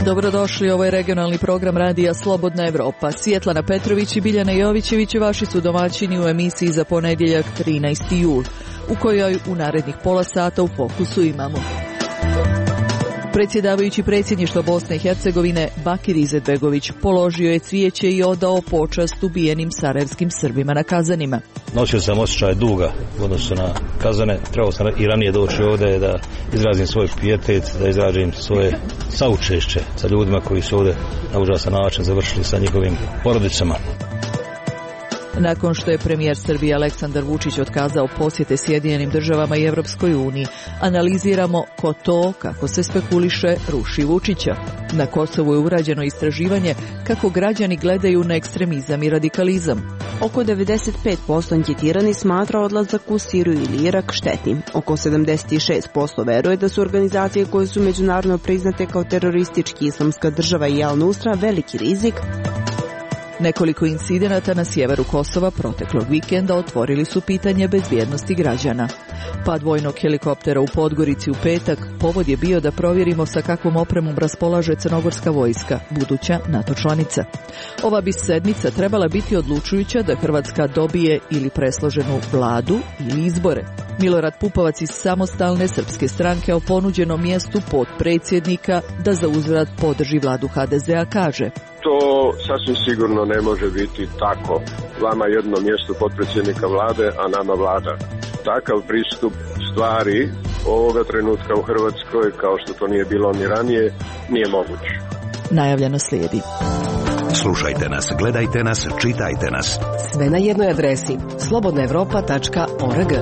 Dobrodošli, ovo je regionalni program radija Slobodna Evropa. Svjetlana Petrović i Biljana Jovićević vaši su domaćini u emisiji za ponedjeljak 13. jul, u kojoj u narednih pola sata u fokusu imamo. Predsjedavajući predsjedništva Bosne i Hercegovine Bakir Izetbegović položio je cvijeće i odao počast ubijenim sarajevskim Srbima na Kazanima. Nosio sam osjećaj duga u odnosu na Kazane. Trebao sam i ranije doći ovdje da izrazim svoj pijetet, da izrazim svoje saučešće sa ljudima koji su ovdje na užasan način završili sa njihovim porodicama. Nakon što je premijer Srbije Aleksandar Vučić otkazao posjete Sjedinjenim državama i Europskoj uniji, analiziramo ko to, kako se spekuliše, ruši Vučića. Na Kosovu je urađeno istraživanje kako građani gledaju na ekstremizam i radikalizam. Oko 95% anketirani smatra odlazak u Siriju ili Irak štetnim. Oko 76% veruje da su organizacije koje su međunarodno priznate kao teroristički Islamska država i Al-Nusra veliki rizik. Nekoliko incidenata na sjeveru Kosova proteklog vikenda otvorili su pitanje bezbjednosti građana. Pad vojnog helikoptera u Podgorici u petak povod je bio da provjerimo sa kakvom opremom raspolaže crnogorska vojska, buduća NATO članica. Ova bi sedmica trebala biti odlučujuća da Hrvatska dobije ili presloženu vladu ili izbore. Milorad Pupovac iz Samostalne srpske stranke o ponuđenom mjestu potpredsjednika da za uzvrat podrži vladu HDZ-a kaže: To sasvim sigurno ne može biti tako. Vama jedno mjesto potpredsjednika vlade, a nama vlada. Takav pristup stvari ovoga trenutka u Hrvatskoj, kao što to nije bilo ni ranije, nije moguć. Najavljeno slijedi. Slušajte nas, gledajte nas, čitajte nas. Sve na jednoj adresi slobodnaevropa.org.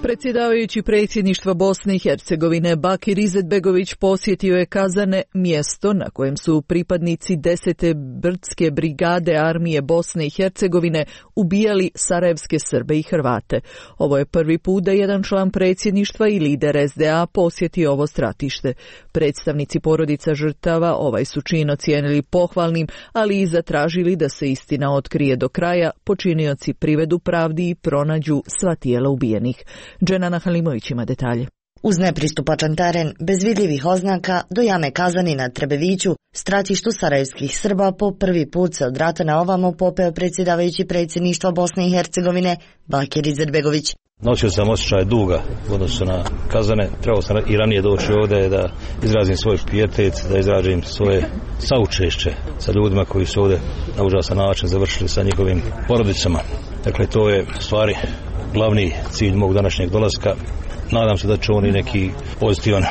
Predsjedavajući predsjedništva Bosne i Hercegovine Bakir Izetbegović posjetio je Kazane, mjesto na kojem su pripadnici 10. brdske brigade armije Bosne i Hercegovine ubijali sarajevske Srbe i Hrvate. Ovo je prvi put da jedan član predsjedništva i lider SDA posjetio ovo stratište. Predstavnici porodica žrtava ovaj su čin ocijenili pohvalnim, ali i zatražili da se istina otkrije do kraja, počinioci privedu pravdi i pronađu sva tijela ubijenih. Dženana Halimović ima detalje. Uz nepristupačan teren, bez vidljivih oznaka, do jame Kazani na Trebeviću, stratištu sarajevskih Srba, po prvi put se od rata na ovamo popeo predsjedavajući predsjedništva Bosne i Hercegovine Bakir Izetbegović. Nosio sam osjećaj duga u odnosu na Kazane. Trebao sam i ranije doći ovdje da izrazim svoj pijetet, da izrazim svoje saučešće sa ljudima koji su ovdje na užasan način završili sa njihovim porodicama. Dakle, to je u stvari glavni cilj mog današnjeg dolaska. Nadam se da će oni neki pozitivan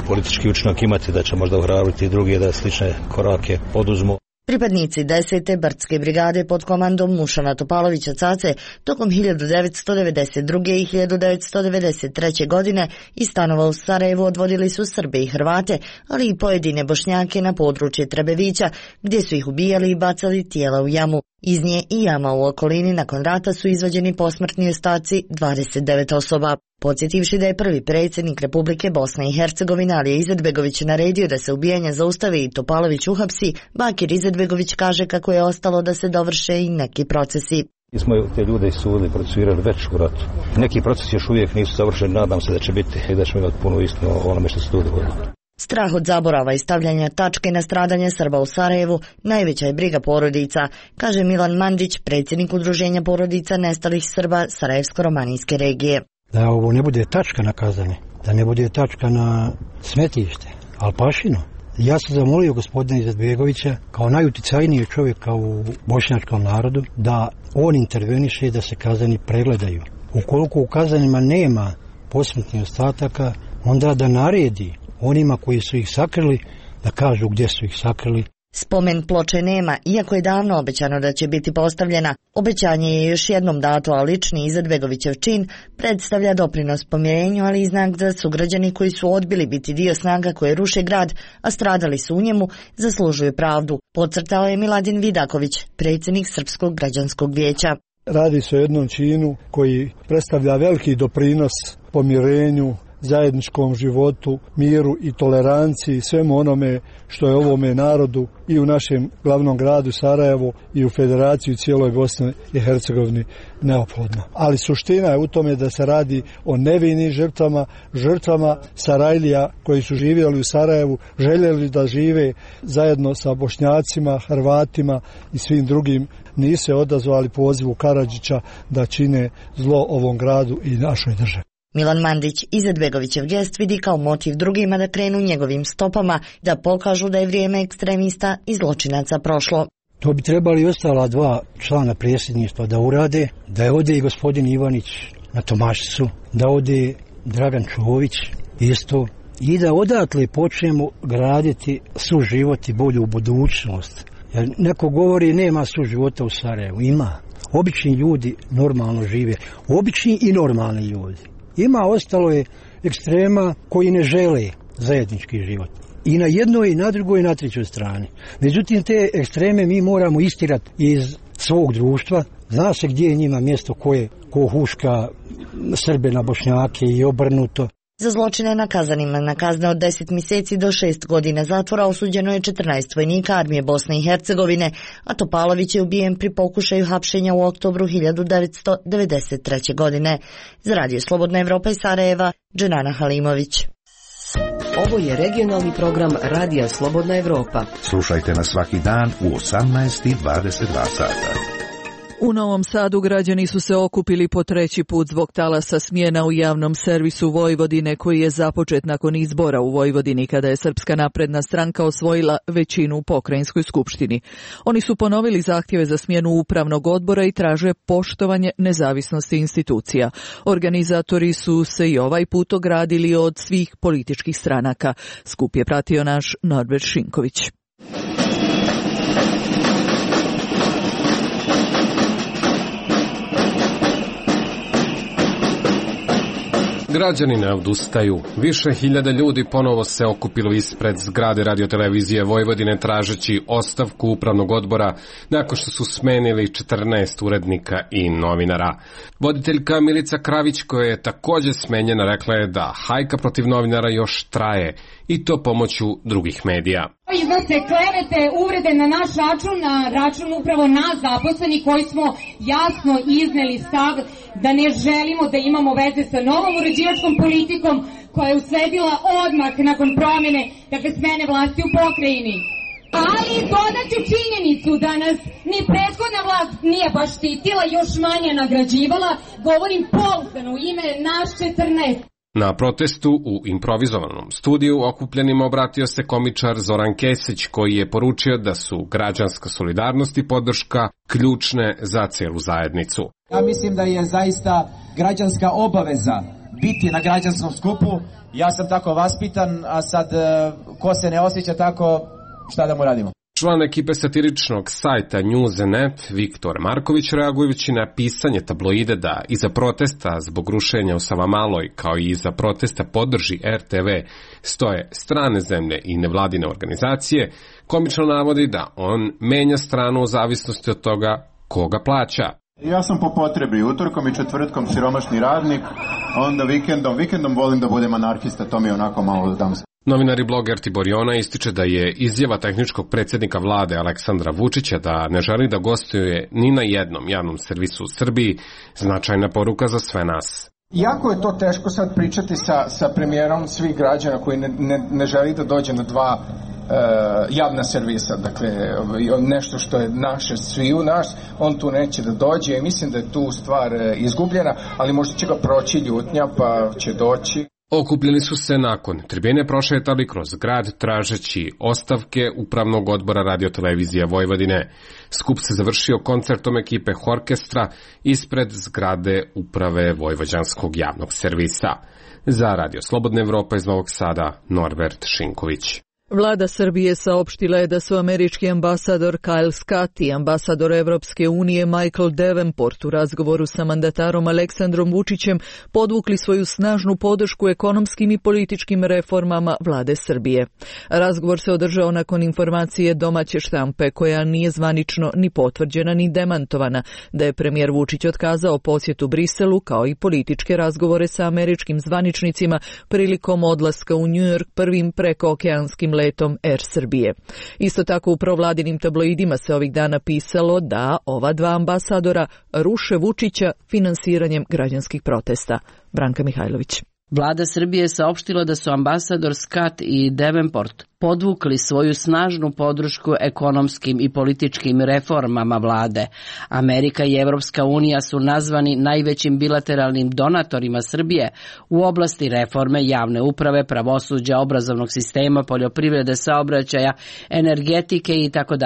politički učinak imati, da će možda ohrabriti druge da slične korake poduzmu. Pripadnici 10. brdske brigade pod komandom Mušana Topalovića Cace tokom 1992. i 1993. godine iz stanova u Sarajevu odvodili su Srbe i Hrvate, ali i pojedine Bošnjake na područje Trebevića, gdje su ih ubijali i bacali tijela u jamu. Iz nje i jama u okolini nakon rata su izvađeni posmrtni ostaci 29 osoba. Podsjetivši da je prvi predsjednik Republike Bosne i Hercegovine Alija Izetbegović naredio da se ubijanje zaustavi i Topalović uhapsi, Bakir Izetbegović kaže kako je ostalo da se dovrše i neki procesi. Mi smo te ljude isudili, procesuirali već u ratu. Neki procesi još uvijek nisu završeni, nadam se da će biti i da ćemo imati punu istinu o onome što se tu dogodilo. Strah od zaborava i stavljanja tačke na stradanje Srba u Sarajevu najveća je briga porodica, kaže Milan Mandić, predsjednik udruženja porodica nestalih Srba Sarajevsko-romanijske regije. Da ovo ne bude tačka na Kazane, da ne bude tačka na smetište, Alpašino. Ja sam zamolio gospodina Izetbegovića kao najuticajnijeg čovjeka u bošnjačkom narodu da on interveniše da se Kazani pregledaju. Ukoliko u Kazanima nema posmrtnih ostataka, onda da naredi onima koji su ih sakrili da kažu gdje su ih sakrili. Spomen ploče nema, iako je davno obećano da će biti postavljena. Obećanje je još jednom dato, a lični Izetbegovićev čin predstavlja doprinos pomirenju, ali i znak da sugrađani koji su odbili biti dio snaga koje ruše grad, a stradali su u njemu, zaslužuju pravdu, podcrtao je Miladin Vidaković, predsjednik Srpskog građanskog vijeća. Radi se o jednom činu koji predstavlja veliki doprinos pomirenju, zajedničkom životu, miru i toleranciji, svemu onome što je ovome narodu i u našem glavnom gradu Sarajevo i u Federaciji cijeloj Bosni i Hercegovini neophodno. Ali suština je u tome da se radi o nevinim žrtvama Sarajlija koji su živjeli u Sarajevu, željeli da žive zajedno sa Bošnjacima, Hrvatima i svim drugim, nisu se odazvali pozivu Karadžića da čine zlo ovom gradu i našoj državi. Milan Mandić Izetbegovićev gest vidi kao motiv drugima da krenu njegovim stopama, da pokažu da je vrijeme ekstremista i zločinaca prošlo. To bi trebali ostala dva člana predsjedništva da urade, da je ode i gospodin Ivanić na Tomašicu, da ode Dragan Čović isto i da odatle počnemo graditi suživot i bolju budućnost. Jer neko govori nema suživota u Sarajevu, ima. Obični ljudi normalno žive, obični i normalni ljudi. Ima, ostalo je ekstrema koji ne žele zajednički život. I na jednoj, i na drugoj, i na trećoj strani. Međutim, te ekstreme mi moramo istirati iz svog društva. Zna se gdje je njima mjesto ko huška Srbe na Bošnjake i obrnuto. Za zločine nakazanima na kazne od 10 mjeseci do 6 godina zatvora osuđeno je 14 vojnika armije Bosne i Hercegovine, a Topalović je ubijen pri pokušaju hapšenja u oktobru 1993. godine. Za Radio Slobodna Evropa iz Sarajeva, Dženana Halimović. Ovo je regionalni program Radija Slobodna Evropa. Slušajte nas svaki dan u 18:22 sata. U Novom Sadu građani su se okupili po treći put zbog talasa smjena u javnom servisu Vojvodine koji je započet nakon izbora u Vojvodini kada je Srpska napredna stranka osvojila većinu u pokrajinskoj skupštini. Oni su ponovili zahtjeve za smjenu upravnog odbora i traže poštovanje nezavisnosti institucija. Organizatori su se i ovaj put ogradili od svih političkih stranaka. Skup je pratio naš Norbert Šinković. Građani ne odustaju. Više hiljada ljudi ponovo se okupilo ispred zgrade radiotelevizije Vojvodine tražeći ostavku upravnog odbora nakon što su smenili 14 urednika i novinara. Voditeljka Milica Kravić, koja je također smenjena, rekla je da hajka protiv novinara još traje i to pomoću drugih medija. Iznose klevete, uvrede na naš račun, na račun upravo nas zaposleni koji smo jasno izneli stav da ne želimo da imamo veze sa novom uređivačkom politikom koja je usledila odmah nakon promjene, dakle smene vlasti u pokrajini. Ali dodaću činjenicu da nas ni prethodna vlast nije baš štitila, još manje nagrađivala, govorim pouzdano u ime nas 14. Na protestu u improvizovanom studiju okupljenima obratio se komičar Zoran Kesić koji je poručio da su građanska solidarnost i podrška ključne za cijelu zajednicu. Ja mislim da je zaista građanska obaveza biti na građanskom skupu. Ja sam tako vaspitan, a sad ko se ne osjeća tako, šta da mu radimo? Član ekipe satiričnog sajta News.net Viktor Marković, reagujući na pisanje tabloide da iza protesta zbog rušenja u Savamaloj kao i iza protesta podrži RTV stoje strane zemlje i nevladine organizacije, komično navodi da on menja stranu u zavisnosti od toga koga plaća. Ja sam po potrebi utorkom i četvrtkom siromašni radnik, onda vikendom volim da budem anarhista, to mi je onako malo dam se. Novinar i bloger Tibor Jona ističe da je izjava tehničkog predsjednika vlade Aleksandra Vučića da ne želi da gostuje ni na jednom javnom servisu u Srbiji značajna poruka za sve nas. Jako je to teško sad pričati sa premijerom svih građana koji ne želi da dođe na dva javna servisa, dakle nešto što je naše sviju nas, on tu neće da dođe i mislim da je tu stvar izgubljena, ali možda će ga proći ljutnja pa će doći. Okupljeni su se nakon tribine prošetali kroz grad tražeći ostavke upravnog odbora radiotelevizije Vojvodine. Skup se završio koncertom ekipe orkestra ispred zgrade uprave Vojvođanskog javnog servisa. Za Radio Slobodna Evropa iz Novog Sada, Norbert Šinković. Vlada Srbije saopštila je da su američki ambasador Kyle Scott i ambasador Evropske unije Michael Davenport u razgovoru sa mandatarom Aleksandrom Vučićem podvukli svoju snažnu podršku ekonomskim i političkim reformama vlade Srbije. Razgovor se održao nakon informacije domaće štampe koja nije zvanično ni potvrđena ni demantovana da je premijer Vučić otkazao posjetu Briselu kao i političke razgovore sa američkim zvaničnicima prilikom odlaska u New York prvim prekookeanskim letom Air Srbije. Isto tako u provladinim tabloidima se ovih dana pisalo da ova dva ambasadora ruše Vučića finansiranjem građanskih protesta. Branka Mihajlović. Vlada Srbije saopštila da su ambasador Scott i Davenport podvukli svoju snažnu podršku ekonomskim i političkim reformama vlade. Amerika i Evropska unija su nazvani najvećim bilateralnim donatorima Srbije u oblasti reforme javne uprave, pravosuđa, obrazovnog sistema, poljoprivrede, saobraćaja, energetike itd.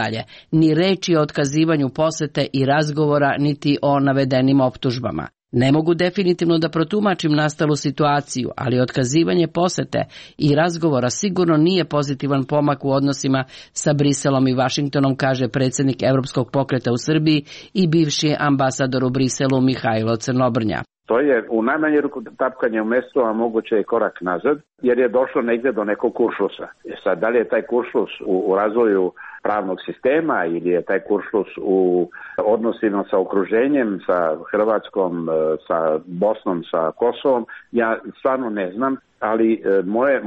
Ni reči o otkazivanju posete i razgovora niti o navedenim optužbama. Ne mogu definitivno da protumačim nastalu situaciju, ali otkazivanje posete i razgovora sigurno nije pozitivan pomak u odnosima sa Briselom i Vašingtonom, kaže predsjednik Evropskog pokreta u Srbiji i bivši ambasador u Briselu Mihajlo Crnobrnja. To je u najmanju ruku tapkanje u mestu, a moguće je korak nazad, jer je došlo negdje do nekog kuršlusa. Sad, da li je taj kuršlus u razvoju pravnog sistema ili je taj kuršlus u odnosima sa okruženjem, sa Hrvatskom, sa Bosnom, sa Kosovom, ja stvarno ne znam, ali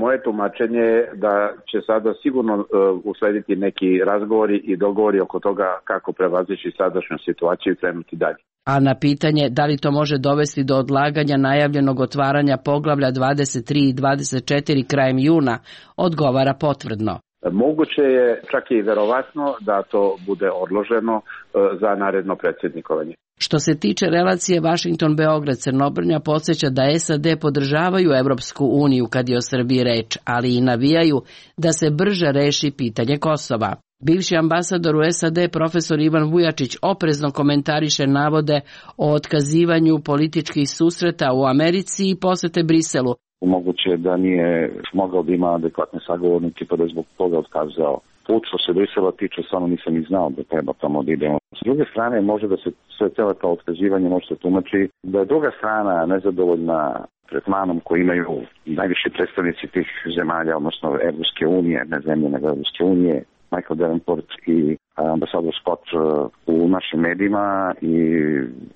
moje tumačenje je da će sada sigurno uslediti neki razgovori i dogovori oko toga kako prevazići sadašnju situaciju i krenuti dalje. A na pitanje da li to može dovesti do odlaganja najavljenog otvaranja poglavlja 23 i 24 krajem juna, odgovara potvrdno. Moguće je, čak i verovatno, da to bude odloženo za naredno predsjednikovanje. Što se tiče relacije Vašington-Beograd-Crnobrnja, podsjeća da SAD podržavaju Evropsku uniju kad je o Srbiji reč, ali i navijaju da se brže reši pitanje Kosova. Bivši ambasador u SAD profesor Ivan Vujačić oprezno komentariše navode o otkazivanju političkih susreta u Americi i posete Briselu. Moguće da nije mogao da ima adekvatne sagovornike pa da je zbog toga otkazao. Put što se Brisela tiče, samo nisam ni znao da treba tamo da idemo. S druge strane, može da se sve celo to otkazivanje može se tumači da je druga strana nezadovoljna tretmanom koji imaju najviši predstavnici tih zemalja, odnosno Evropske unije, ne zemlje nego Evropske unije, Michael Davenport i ambasador Scott u našim medijima i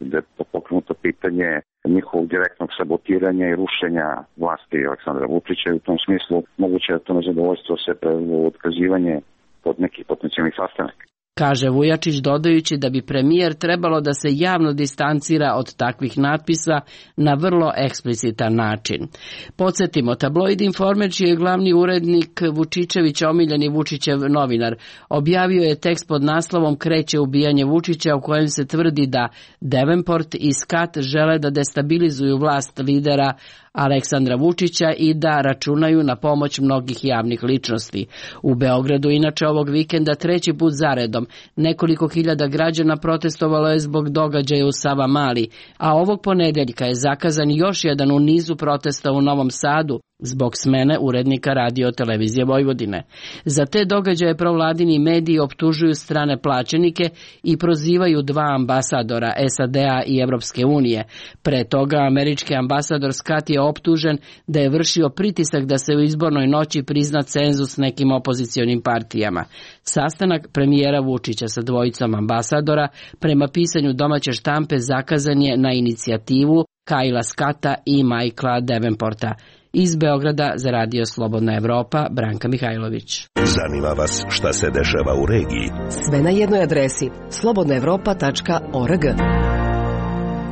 da je pokrenuto pitanje njihovog direktnog sabotiranja i rušenja vlasti Aleksandra Vučića i u tom smislu moguće je to nezadovoljstvo se prevelo otkazivanje pod nekih potencijalnih sastanaka. Kaže Vujačić dodajući da bi premijer trebalo da se javno distancira od takvih natpisa na vrlo eksplicitan način. Podsjetimo, tabloid Informer, čiji je glavni urednik Vučićević, omiljeni Vučićev novinar, objavio je tekst pod naslovom Kreće ubijanje Vučića, u kojem se tvrdi da Davenport i Scott žele da destabilizuju vlast lidera Aleksandra Vučića i da računaju na pomoć mnogih javnih ličnosti. U Beogradu inače ovog vikenda treći put zaredom nekoliko hiljada građana protestovalo je zbog događaja u Savamali, a ovog ponedeljka je zakazan još jedan u nizu protesta u Novom Sadu zbog smene urednika Radio Televizije Vojvodine. Za te događaje provladini mediji optužuju strane plaćenike i prozivaju dva ambasadora SAD-a i Evropske unije. Pre toga američki ambasador Scott je optužen da je vršio pritisak da se u izbornoj noći prizna cenzus nekim opozicionim partijama. Sastanak premijera Vučića sa dvojicom ambasadora prema pisanju domaće štampe zakazan je na inicijativu Kyla Scotta i Michaela Davenporta. Iz Beograda za Radio Slobodna Evropa, Branka Mihajlović. Zanima vas šta se dešava u regiji? Sve na jednoj adresi slobodnaevropa.org.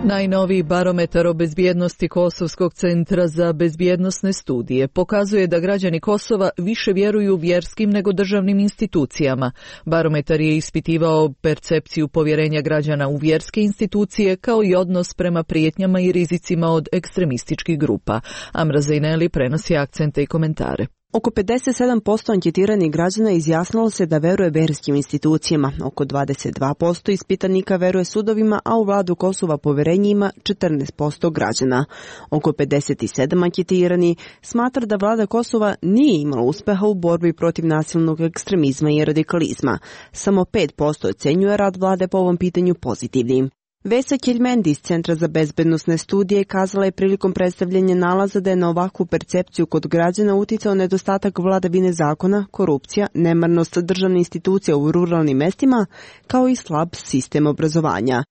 Najnoviji barometar o bezbjednosti Kosovskog centra za bezbjednosne studije pokazuje da građani Kosova više vjeruju vjerskim nego državnim institucijama. Barometar je ispitivao percepciju povjerenja građana u vjerske institucije kao i odnos prema prijetnjama i rizicima od ekstremističkih grupa. Amra Zejneli prenosi akcente i komentare. Oko 57% anketiranih građana izjasnilo se da veruje verskim institucijama, oko 22% ispitanika veruje sudovima, a u vladu Kosova poverenje ima 14% građana. Oko 57 anketiranih smatra da vlada Kosova nije imala uspeha u borbi protiv nasilnog ekstremizma i radikalizma. Samo 5% ocenjuje rad vlade po ovom pitanju pozitivnim. Vesa Keljmendi iz Centra za bezbednosne studije kazala je prilikom predstavljanja nalaza da je na ovakvu percepciju kod građana uticao nedostatak vladavine zakona, korupcija, nemarnost državne institucije u ruralnim mestima, kao i slab sistem obrazovanja.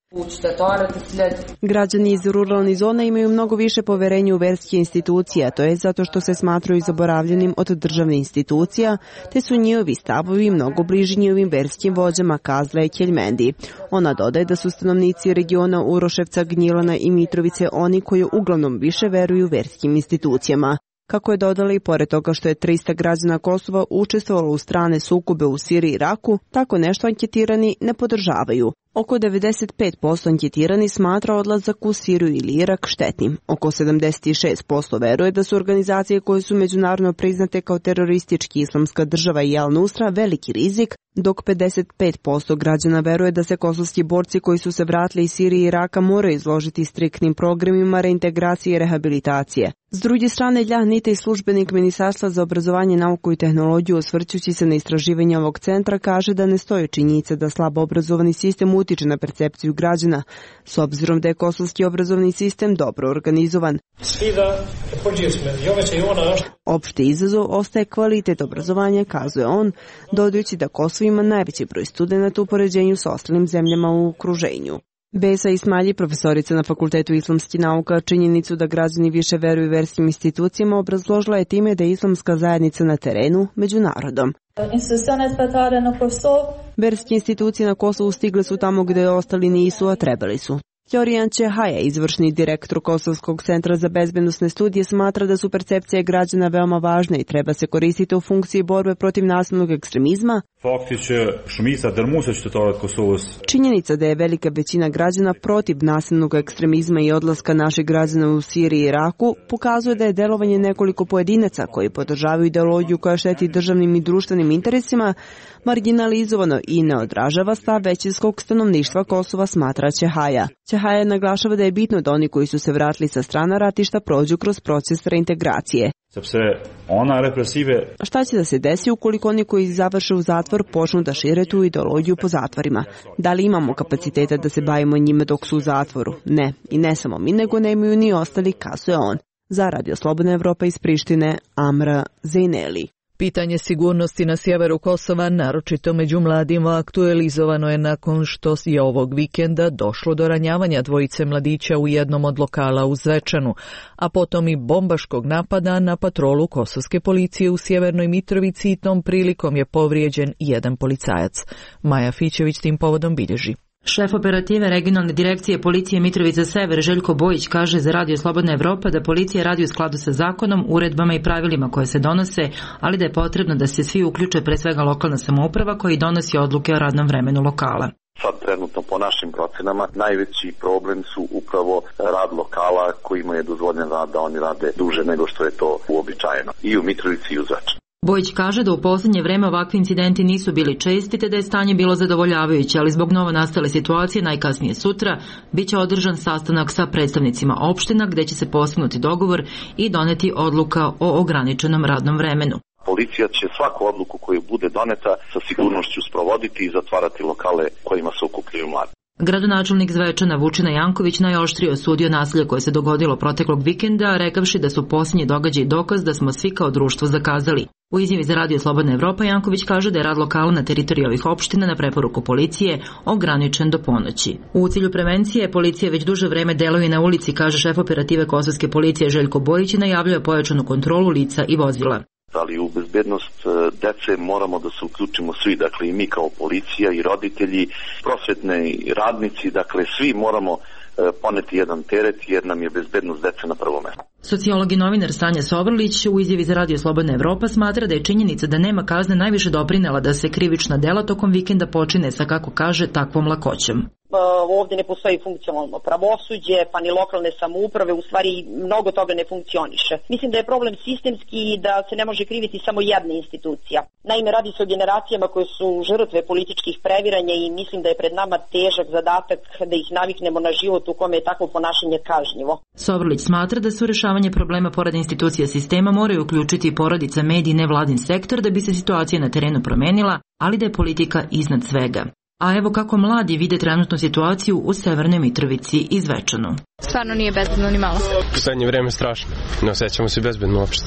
Građani iz ruralnih zona imaju mnogo više poverenja u verske institucije, a to je zato što se smatraju zaboravljenim od državne institucija, te su njihovi stavovi mnogo bliži njihovim verskim vođama, kazala je Keljmendi. Ona dodaje da su stanovnici regiona Uroševca, Gnjilana i Mitrovice oni koji uglavnom više veruju verskim institucijama. Kako je dodala i pored toga što je 300 građana Kosova učestvovalo u strane sukobe u Siriji i Iraku, tako nešto anketirani ne podržavaju. Oko 95% anketirani smatra odlazak u Siriju ili Irak štetnim. Oko 76% veruje da su organizacije koje su međunarodno priznate kao teroristički Islamska država i Al-Nusra veliki rizik, dok 55% građana veruje da se kosovski borci koji su se vratili iz Sirije i Iraka moraju izložiti striktnim programima reintegracije i rehabilitacije. S druge strane, Ljah Nitej, službenik Ministarstva za obrazovanje, nauku i tehnologiju, osvrćući se na istraživanje ovog centra, kaže da ne stoji činjenica da slabo obrazovani sistem utiče na percepciju građana, s obzirom da je kosovski obrazovni sistem dobro organizovan. Opšti izazov ostaje kvalitet obrazovanja, kazuje on, dodajući da Kosovo ima najveći broj studenata u poređenju s ostalim zemljama u okruženju. Besa Ismalji, profesorica na Fakultetu islamskih nauka, činjenicu da građani više veruju verskim institucijama obrazložila je time da je islamska zajednica na terenu među narodom. Verske institucije na Kosovu stigle su tamo gde ostali nisu, a trebali su. Florijan Čehaja, izvršni direktor Kosovskog centra za bezbednosne studije, smatra da su percepcije građana veoma važne i treba se koristiti u funkciji borbe protiv nasilnog ekstremizma. Činjenica da je velika većina građana protiv nasilnog ekstremizma i odlaska naših građana u Siriji i Iraku pokazuje da je delovanje nekoliko pojedinaca koji podržavaju ideologiju koja šteti državnim i društvenim interesima marginalizovano i ne odražava stav većinskog stanovništva Kosova, smatra Čehaja. Čehaja naglašava da je bitno da oni koji su se vratili sa strana ratišta prođu kroz proces reintegracije. Šta će da se desi ukoliko oni koji završe u zatvor počnu da šire tu ideologiju po zatvorima? Da li imamo kapaciteta da se bavimo njime dok su u zatvoru? Ne. I ne samo mi, nego nemaju ni ostali, kazuje on. Za Radio Slobodna Evropa iz Prištine, Amra Zejneli. Pitanje sigurnosti na sjeveru Kosova, naročito među mladima, aktualizovano je nakon što je ovog vikenda došlo do ranjavanja dvojice mladića u jednom od lokala u Zvečanu, a potom i bombaškog napada na patrolu kosovske policije u Sjevernoj Mitrovici i tom prilikom je povrijeđen jedan policajac. Maja Fićević tim povodom bilježi. Šef operative regionalne direkcije policije Mitrovica Sever Željko Bojić kaže za Radio Slobodna Evropa da policija radi u skladu sa zakonom, uredbama i pravilima koje se donose, ali da je potrebno da se svi uključe, pre svega lokalna samouprava koji donosi odluke o radnom vremenu lokala. Sad trenutno po našim procenama najveći problem su upravo rad lokala kojima je dozvoljen rad da oni rade duže nego što je to uobičajeno i u Mitrovici i u Zvečanu. Bojić kaže da u posljednje vreme ovakvi incidenti nisu bili česti te da je stanje bilo zadovoljavajuće, ali zbog novo nastale situacije najkasnije sutra biće održan sastanak sa predstavnicima opština gde će se postignuti dogovor i doneti odluka o ograničenom radnom vremenu. Policija će svaku odluku koju bude doneta sa sigurnošću sprovoditi i zatvarati lokale kojima se okupljaju mladi. Gradonačelnik Zvečana Vučina Janković najoštrije osudio nasilje koje se dogodilo proteklog vikenda, rekavši da su posljednji događaji dokaz da smo svi kao društvo zakazali. U izjavi za Radio Slobodna Evropa Janković kaže da je rad lokala na teritoriji ovih opština na preporuku policije ograničen do ponoći. U cilju prevencije policija već duže vreme deluje na ulici, kaže šef operative kosovske policije Željko Bojić i najavljuje pojačanu kontrolu lica i vozila. Ali u bezbednost dece moramo da se uključimo svi, dakle i mi kao policija i roditelji, prosvetni radnici, dakle svi moramo poneti jedan teret jer nam je bezbednost dece na prvom mestu. Sociolog i novinar Sanja Sovrlić u izjavi za Radio Slobodna Evropa smatra da je činjenica da nema kazne najviše doprinela da se krivična dela tokom vikenda počine sa, kako kaže, takvom lakoćom. ovdje ne postoji funkcionalno pravosuđe, pa ni lokalne samouprave, u stvari mnogo toga ne funkcioniše. Mislim da je problem sistemski i da se ne može kriviti samo jedna institucija. Naime, radi se o generacijama koje su žrtve političkih previranja i mislim da je pred nama težak zadatak da ih naviknemo na život u kome je takvo ponašanje kažnjivo. Sovrlić smatra da su rješavanje problema pored institucija sistema moraju uključiti i porodica, mediji, nevladin sektor da bi se situacija na terenu promenila, ali da je politika iznad svega. A evo kako mladi vide trenutnu situaciju u Severnoj Mitrovici i Zvečanu. Stvarno nije bezbedno ni malo. U zadnje vreme strašno. Ne osjećamo se bezbedno uopšte.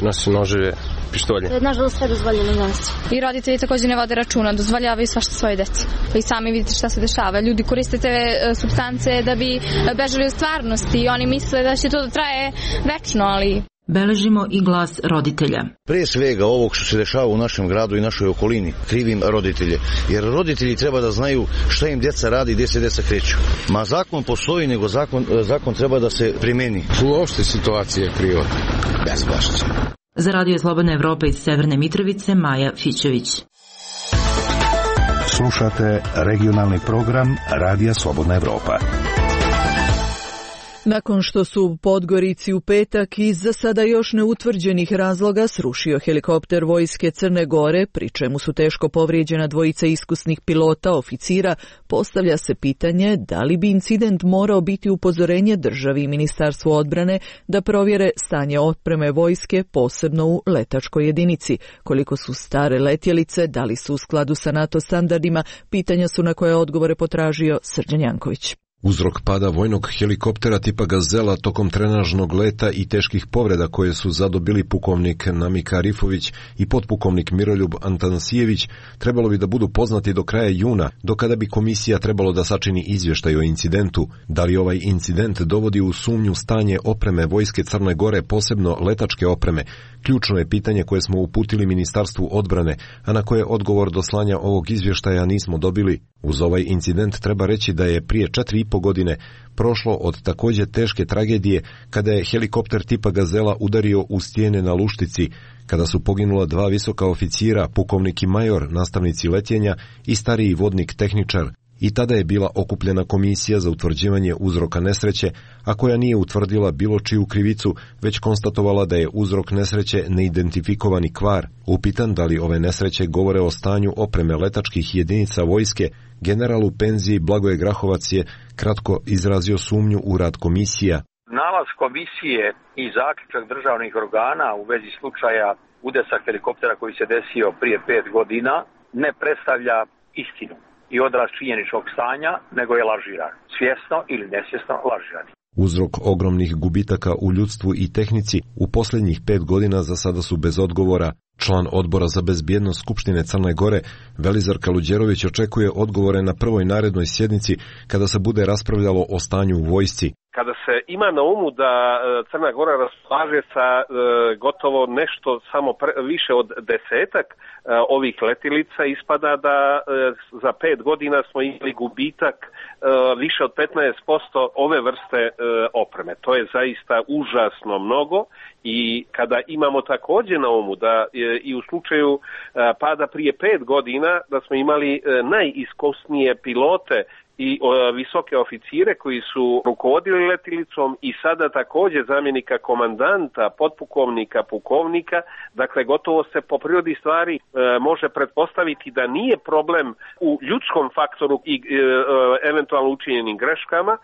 Nosi noževe, pištolje. Nažalost sve dozvoljeno danas. I roditelji također ne vode računa, dozvoljavaju svašta svoje deci. I sami vidite šta se dešava. Ljudi koriste te supstance da bi bežali u stvarnosti i oni misle da će to da traje večno, ali... Beležimo i glas roditelja. Prije svega ovog što se dešava u našem gradu i našoj okolini, krivim roditelje. Jer roditelji treba da znaju šta im djeca radi i gdje se djeca kreću. Ma zakon postoji, nego zakon treba da se primeni. Uopšte situacija je kriva. Bezbašće. Za Radio Slobodna Evropa iz Severne Mitrovice, Maja Fićević. Slušate regionalni program Radija Slobodna Evropa. Nakon što su u Podgorici u petak iz za sada još neutvrđenih razloga srušio helikopter vojske Crne Gore, pri čemu su teško povrijeđena dvojica iskusnih pilota, oficira, postavlja se pitanje da li bi incident morao biti upozorenje državi i Ministarstvu odbrane da provjere stanje otpreme vojske, posebno u letačkoj jedinici. Koliko su stare letjelice, da li su u skladu sa NATO standardima, pitanja su na koje odgovore potražio Srđan Janković. Uzrok pada vojnog helikoptera tipa Gazela tokom trenažnog leta i teških povreda koje su zadobili pukovnik Namika Rifović i potpukovnik Miroljub Antanasijević trebalo bi da budu poznati do kraja juna, do kada bi komisija trebalo da sačini izvještaj o incidentu. Da li ovaj incident dovodi u sumnju stanje opreme vojske Crne Gore, posebno letačke opreme? Ključno je pitanje koje smo uputili Ministarstvu odbrane, a na koje odgovor do slanja ovog izvještaja nismo dobili. Uz ovaj incident treba reći da je prije 4,5 godine prošlo od također teške tragedije kada je helikopter tipa Gazela udario u stijene na Luštici, kada su poginula 2 visoka oficira, pukovnik i major, nastavnici letjenja i stariji vodnik tehničar. I tada je bila okupljena komisija za utvrđivanje uzroka nesreće, a koja nije utvrdila bilo čiju krivicu, već konstatovala da je uzrok nesreće neidentifikovani kvar. Upitan da li ove nesreće govore o stanju opreme letačkih jedinica vojske, general u penziji Blagoje Grahovac je kratko izrazio sumnju u rad komisija. Nalaz komisije i zaključak državnih organa u vezi slučaja udesa helikoptera koji se desio prije 5 godina ne predstavlja istinu i odraz činjeničnog stanja, nego je lažiran. Svjesno ili nesvjesno lažiran. Uzrok ogromnih gubitaka u ljudstvu i tehnici u posljednjih 5 godina za sada su bez odgovora. Član odbora za bezbjednost Skupštine Crne Gore, Velizar Kaluđerović, očekuje odgovore na prvoj narednoj sjednici kada se bude raspravljalo o stanju u vojsci. Kada se ima na umu da Crna Gora raspolaže sa gotovo nešto samo više od 10 ovih letilica, ispada da za 5 godina smo imali gubitak više od 15% ove vrste opreme. To je zaista užasno mnogo i kada imamo također na umu da i u slučaju pada prije 5 godina da smo imali najiskusnije pilote i visoke oficire koji su rukovodili letilicom i sada također zamjenika komandanta, potpukovnika, pukovnika, dakle gotovo se po prirodi stvari može pretpostaviti da nije problem u ljudskom faktoru i eventualno učinjenim greškama,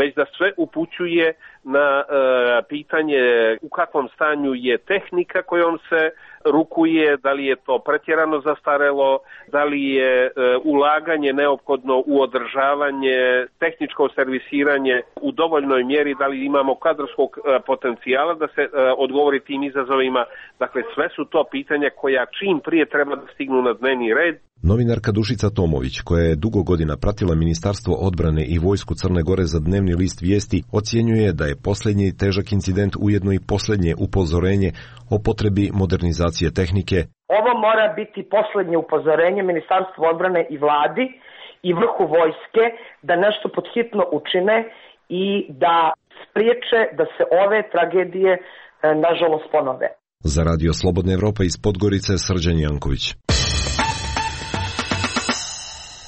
već da sve upućuje na pitanje u kakvom stanju je tehnika kojom se rukuje, da li je to pretjerano zastarelo, da li je ulaganje neophodno u održavanje, tehničko servisiranje u dovoljnoj mjeri, da li imamo kadrovskog potencijala da se odgovori tim izazovima. Dakle, sve su to pitanja koja čim prije treba da stignu na dnevni red. Novinarka Dušica Tomović, koja je dugo godina pratila Ministarstvo odbrane i vojsku Crne Gore za dnevni list Vijesti, ocjenjuje da je posljednji težak incident ujedno i posljednje upozorenje o potrebi modernizacije tehnike. Ovo mora biti posljednje upozorenje Ministarstvu odbrane i vladi i vrhu vojske da nešto podhitno učine i da spriječe da se ove tragedije nažalost ponove. Za Radio Slobodna Evropa iz Podgorice, Srđan Janković.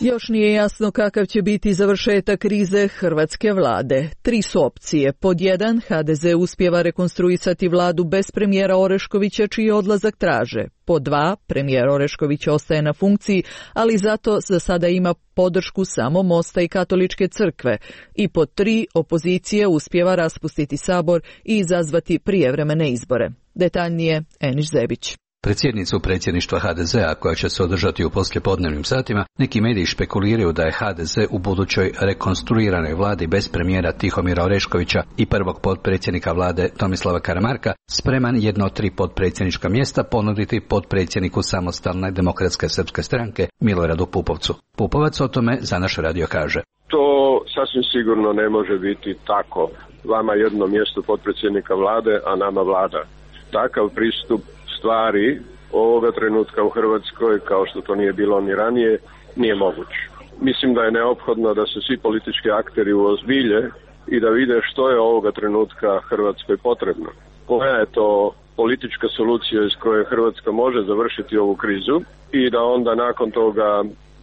Još nije jasno kakav će biti završetak krize hrvatske vlade. 3 su opcije. Pod 1, HDZ uspijeva rekonstruisati vladu bez premijera Oreškovića, čiji odlazak traže. Pod 2, premijer Orešković ostaje na funkciji, ali zato za sada ima podršku samo Mosta i Katoličke crkve. I pod 3, opozicija uspijeva raspustiti sabor i izazvati prijevremene izbore. Detaljnije Eniš Zebić. Predsjednicu predsjedništva HDZ-a, koja će se održati u poslijepodnevnim satima, neki mediji špekuliraju da je HDZ u budućoj rekonstruiranoj vladi bez premijera Tihomira Oreškovića i prvog potpredsjednika vlade Tomislava Karamarka spreman jedno od 3 potpredsjednička mjesta ponuditi potpredsjedniku Samostalne demokratske srpske stranke Miloradu Pupovcu. Pupovac o tome za naš radio kaže: To sasvim sigurno ne može biti tako. Vama jedno mjesto potpredsjednika vlade, a nama vlada. Takav pristup stvari ovoga trenutka u Hrvatskoj, kao što to nije bilo ni ranije, nije moguć. Mislim da je neophodno da se svi politički akteri uozbilje i da vide što je ovoga trenutka Hrvatskoj potrebno. Koja je to politička solucija iz koje Hrvatska može završiti ovu krizu i da onda nakon toga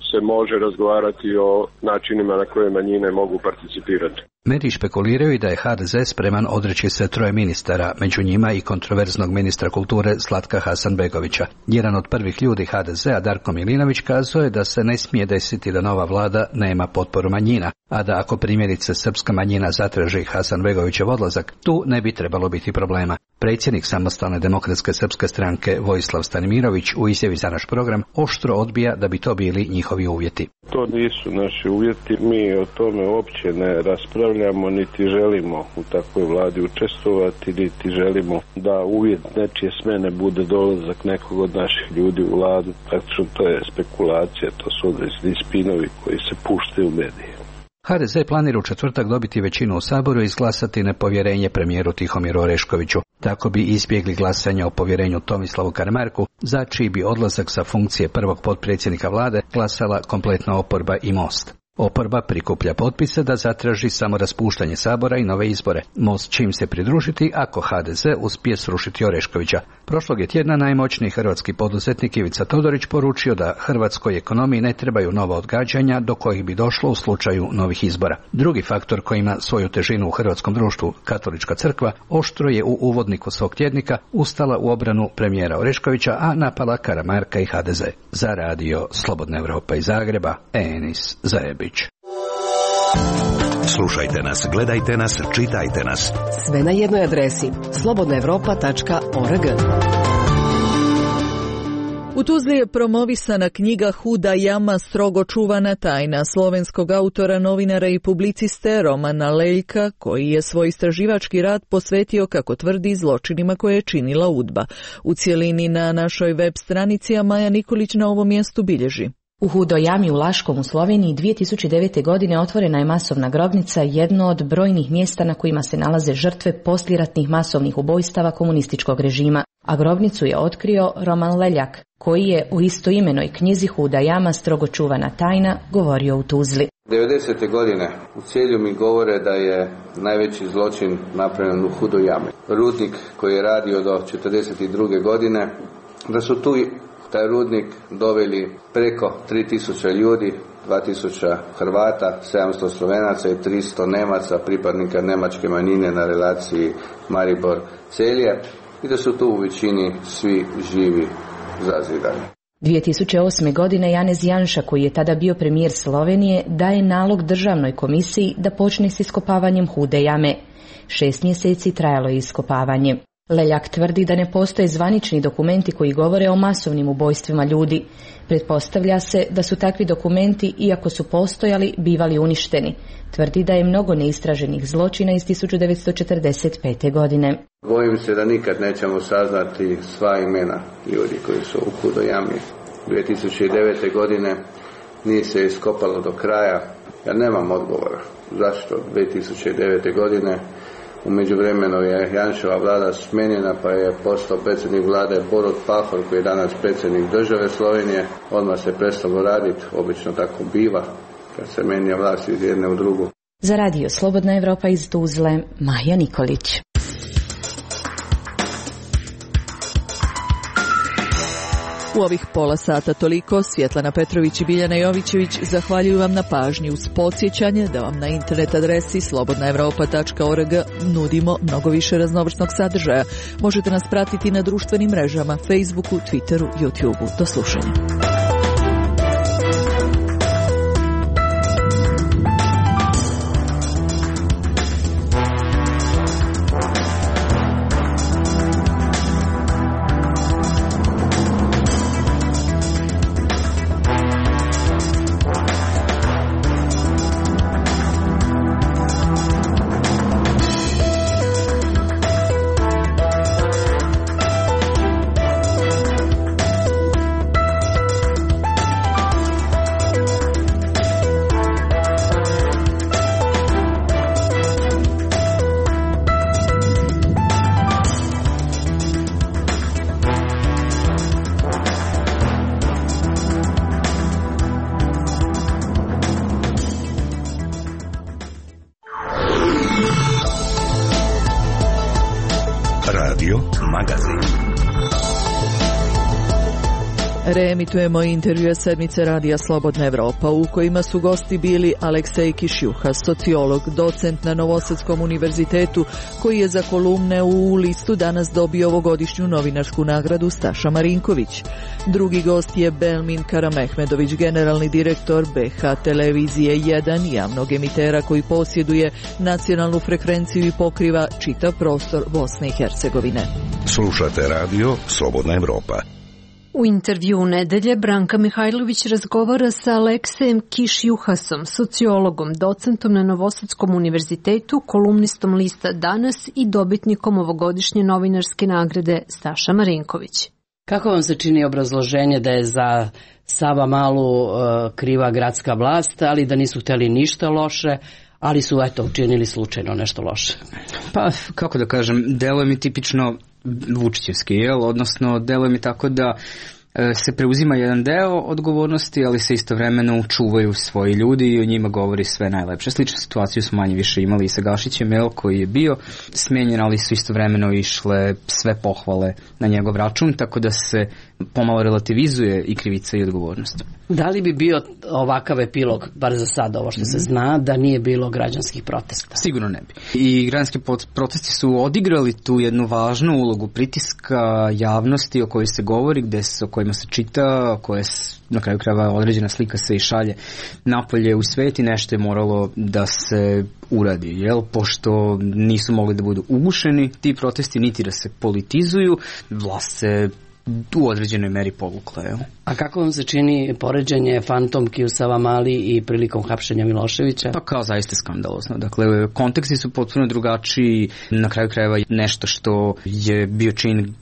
se može razgovarati o načinima na koje manjine mogu participirati. Mediji špekuliraju i da je HDZ spreman odreći se 3 ministara, među njima i kontroverznog ministra kulture Slatka Hasanbegovića. Jedan od prvih ljudi HDZ-a, Darko Milinović, kazao je da se ne smije desiti da nova vlada nema potporu manjina, a da ako primjerice srpska manjina zatraži Hasanbegovićev odlazak, tu ne bi trebalo biti problema. Predsjednik Samostalne demokratske srpske stranke Vojislav Stanimirović u izjavi za naš program oštro odbija da bi to bili njihovi uvjeti. To nisu naši uvjeti, mi o tome uopće ne raspravljamo, niti želimo u takvoj vladi učestvovati, niti želimo da uvjet nečije smene bude dolazak nekog od naših ljudi u vladu. Praktično to je spekulacija, to su određeni spinovi koji se puštaju u medije. HDZ planira u četvrtak dobiti većinu u Saboru i izglasati nepovjerenje premijeru Tihomiru Oreškoviću. Tako bi izbjegli glasanje o povjerenju Tomislavu Karamarku, za čiji bi odlazak sa funkcije prvog potpredsjednika vlade glasala kompletna oporba i Most. Oporba prikuplja potpise da zatraži samo raspuštanje sabora i nove izbore. Most će im se pridružiti ako HDZ uspije srušiti Oreškovića. Prošlog je tjedna najmoćniji hrvatski poduzetnik Ivica Todorić poručio da hrvatskoj ekonomiji ne trebaju nova odgađanja do kojih bi došlo u slučaju novih izbora. Drugi faktor koji ima svoju težinu u hrvatskom društvu, Katolička crkva, oštro je u uvodniku svog tjednika ustala u obranu premijera Oreškovića, a napala Karamarka i HDZ. Za radio Slobodna Evropa iz Zagreba, Enis Zajebić. Slušajte nas, gledajte nas, čitajte nas. Sve na jednoj adresi slobodnaevropa.org. U Tuzli je promovisana knjiga Huda jama, strogo čuvana tajna slovenskog autora, novinara i publiciste Romana Leljka, koji je svoj istraživački rad posvetio, kako tvrdi, zločinima koje je činila UDBA. U cjelini na našoj web stranici, a Maja Nikolić na ovom mjestu bilježi. U Hudoj jami u Laškom u Sloveniji 2009. godine otvorena je masovna grobnica, jedno od brojnih mjesta na kojima se nalaze žrtve poslijeratnih masovnih ubojstava komunističkog režima, a grobnicu je otkrio Roman Leljak, koji je u istoimenoj knjizi Huda jama, strogo čuvana tajna govorio u Tuzli. 90. godine u Celju mi govore da je najveći zločin napravljen u Hudoj jami. Rudnik koji je radio do 42. godine, da su tu taj rudnik doveli preko 3000 ljudi, 2000 Hrvata, 700 Slovenaca i 300 Nemaca, pripadnika nemačke manjine na relaciji Maribor-Celje, i da su tu u većini svi živi zazidani. 2008. godine Janez Janša, koji je tada bio premijer Slovenije, daje nalog državnoj komisiji da počne s iskopavanjem Hude jame. 6 mjeseci trajalo je iskopavanje. Leljak tvrdi da ne postoje zvanični dokumenti koji govore o masovnim ubojstvima ljudi. Pretpostavlja se da su takvi dokumenti, iako su postojali, bivali uništeni. Tvrdi da je mnogo neistraženih zločina iz 1945. godine. Bojim se da nikad nećemo saznati sva imena ljudi koji su u Hudoj jami. 2009. godine nije se iskopalo do kraja. Ja nemam odgovora. Zašto 2009. godine? U međuvremenu je Janševa vlada smenjena, pa je postao predsjednik vlade Borut Pahor, koji je danas predsjednik države Slovenije. Odmah se prestalo raditi, obično tako biva kad se menja vlast iz jedne u drugu. Za radio Slobodna Evropa iz Tuzle, Maja Nikolić. U ovih pola sata toliko. Svjetlana Petrović i Biljana Jovićević zahvaljuju vam na pažnji uz podsjećanje da vam na internet adresi slobodnaevropa.org nudimo mnogo više raznovrsnog sadržaja. Možete nas pratiti na društvenim mrežama, Facebooku, Twitteru, YouTubeu. Do slušanja. Reemitujemo intervjue sedmice Radija Slobodna Evropa u kojima su gosti bili Aleksej Kišjuha, sociolog, docent na Novosadskom univerzitetu koji je za kolumne u Listu danas dobio ovogodišnju novinarsku nagradu Staša Marinković. Drugi gost je Belmin Karamehmedović, generalni direktor BH Televizije 1, javnog emitera koji posjeduje nacionalnu frekvenciju i pokriva čitav prostor Bosne i Hercegovine. Slušate radio Slobodna Evropa. U intervju nedelje Branka Mihajlović razgovara sa Aleksejem Kišjuhasom, sociologom, docentom na Novosadskom univerzitetu, kolumnistom Lista Danas i dobitnikom ovogodišnje novinarske nagrade Staša Marinković. Kako vam se čini obrazloženje da je za Savamalu kriva gradska vlast, ali da nisu hteli ništa loše, ali su učinili slučajno nešto loše? Pa, kako da kažem, deluje mi tipično vučićevski, odnosno deluje mi tako da se preuzima jedan deo odgovornosti, ali se istovremeno čuvaju svoji ljudi i o njima govori sve najlepše. Sličnu situaciju smo manje više imali i sa Gašićem, koji je bio smenjen, ali su istovremeno išle sve pohvale na njegov račun, tako da se pomalo relativizuje i krivica i odgovornost. Da li bi bio ovakav epilog, bar za sad ovo što se zna, da nije bilo građanskih protesta? Sigurno ne bi. I građanski protesti su odigrali tu jednu važnu ulogu pritiska javnosti o kojoj se govori, o kojima se čita, koje na kraju krajeva određena slika se i šalje napolje u svet i nešto je moralo da se uradi, pošto nisu mogli da budu ugušeni ti protesti, niti da se politizuju, vlast se u određenoj meri povukla. A kako vam se čini poređenje fantomki u Savamali i prilikom hapšenja Miloševića? Pa kao zaista skandalozno. Dakle, konteksti su potpuno drugačiji, na kraju krajeva nešto što je bio čin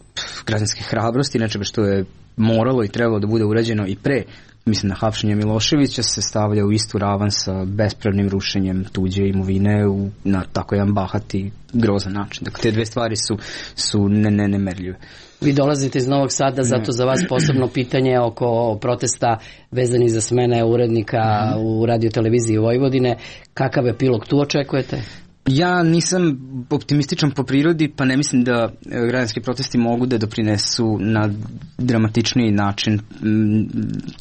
građanske hrabrosti, nečega što je moralo i trebalo da bude urađeno i pre, mislim na hapšenje Miloševića, se stavlja u istu ravan sa bespravnim rušenjem tuđe imovine na tako jedan bahati, grozan način. Dakle, te dve stvari su nemerljive. Vi dolazite iz Novog Sada, zato za vas posebno pitanje oko protesta vezani za smene urednika u radioteleviziji Vojvodine. Kakav epilog tu očekujete? Ja nisam optimističan po prirodi, pa ne mislim da građanski protesti mogu da doprinesu na dramatičniji način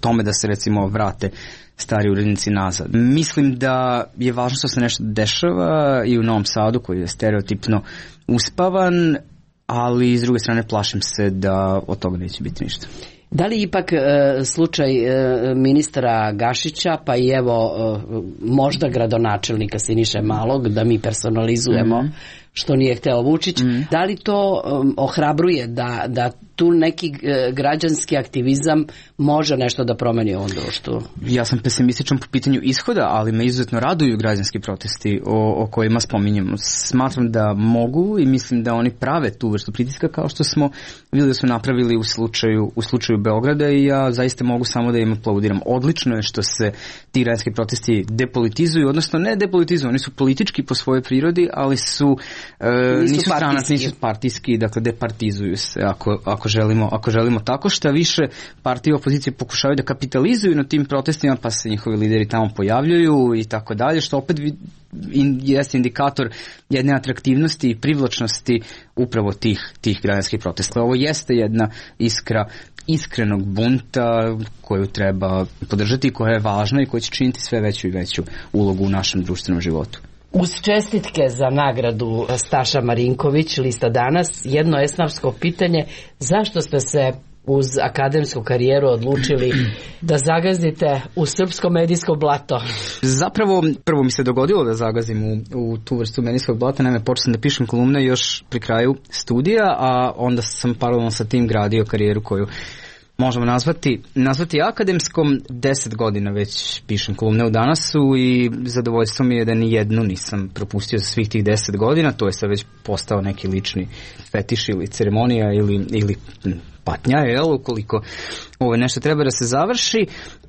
tome da se recimo vrate stari urednici nazad. Mislim da je važno što se nešto dešava i u Novom Sadu koji je stereotipno uspavan, ali s druge strane plašim se da od toga neće biti ništa. Da li ipak slučaj ministra Gašića, pa i evo možda gradonačelnika Siniše Malog, da mi personalizujemo što nije hteo Vučić, da li to ohrabruje da tu neki građanski aktivizam može nešto da promeni u ovom društvu? Ja sam pesimističan po pitanju ishoda, ali me izuzetno raduju građanski protesti o kojima spominjemo. Smatram da mogu i mislim da oni prave tu vrstu pritiska kao što smo vidjeli da su napravili u slučaju Beograda i ja zaista mogu samo da im aplaudiram. Odlično je što se ti građanski protesti depolitizuju, odnosno ne depolitizuju, oni su politički po svojoj prirodi, ali nisu stranački, nisu partijski, dakle departizuju se ako želimo tako. Šta više, partije opozicije pokušavaju da kapitalizuju na tim protestima, pa se njihovi lideri tamo pojavljuju i tako dalje, što opet jeste indikator jedne atraktivnosti i privlačnosti upravo tih građanskih protesta. Ovo jeste jedna iskra iskrenog bunta koju treba podržati, koja je važna i koja će činiti sve veću i veću ulogu u našem društvenom životu. Uz čestitke za nagradu Staša Marinković, lista Danas, jedno esnafsko pitanje, zašto ste se uz akademsku karijeru odlučili da zagazdite u srpsko medijsko blato? Zapravo, prvo mi se dogodilo da zagazim u tu vrstu medijskog blata, naime počeo sam da pišem kolumne još pri kraju studija, a onda sam paralelno sa tim gradio karijeru koju možemo nazvati akademskom. 10 godina već pišem kolumne u Danasu i zadovoljstvo mi je da ni jednu nisam propustio za svih tih 10 godina. To je sad već postao neki lični fetiš ili ceremonija ili patnja, ukoliko nešto treba da se završi.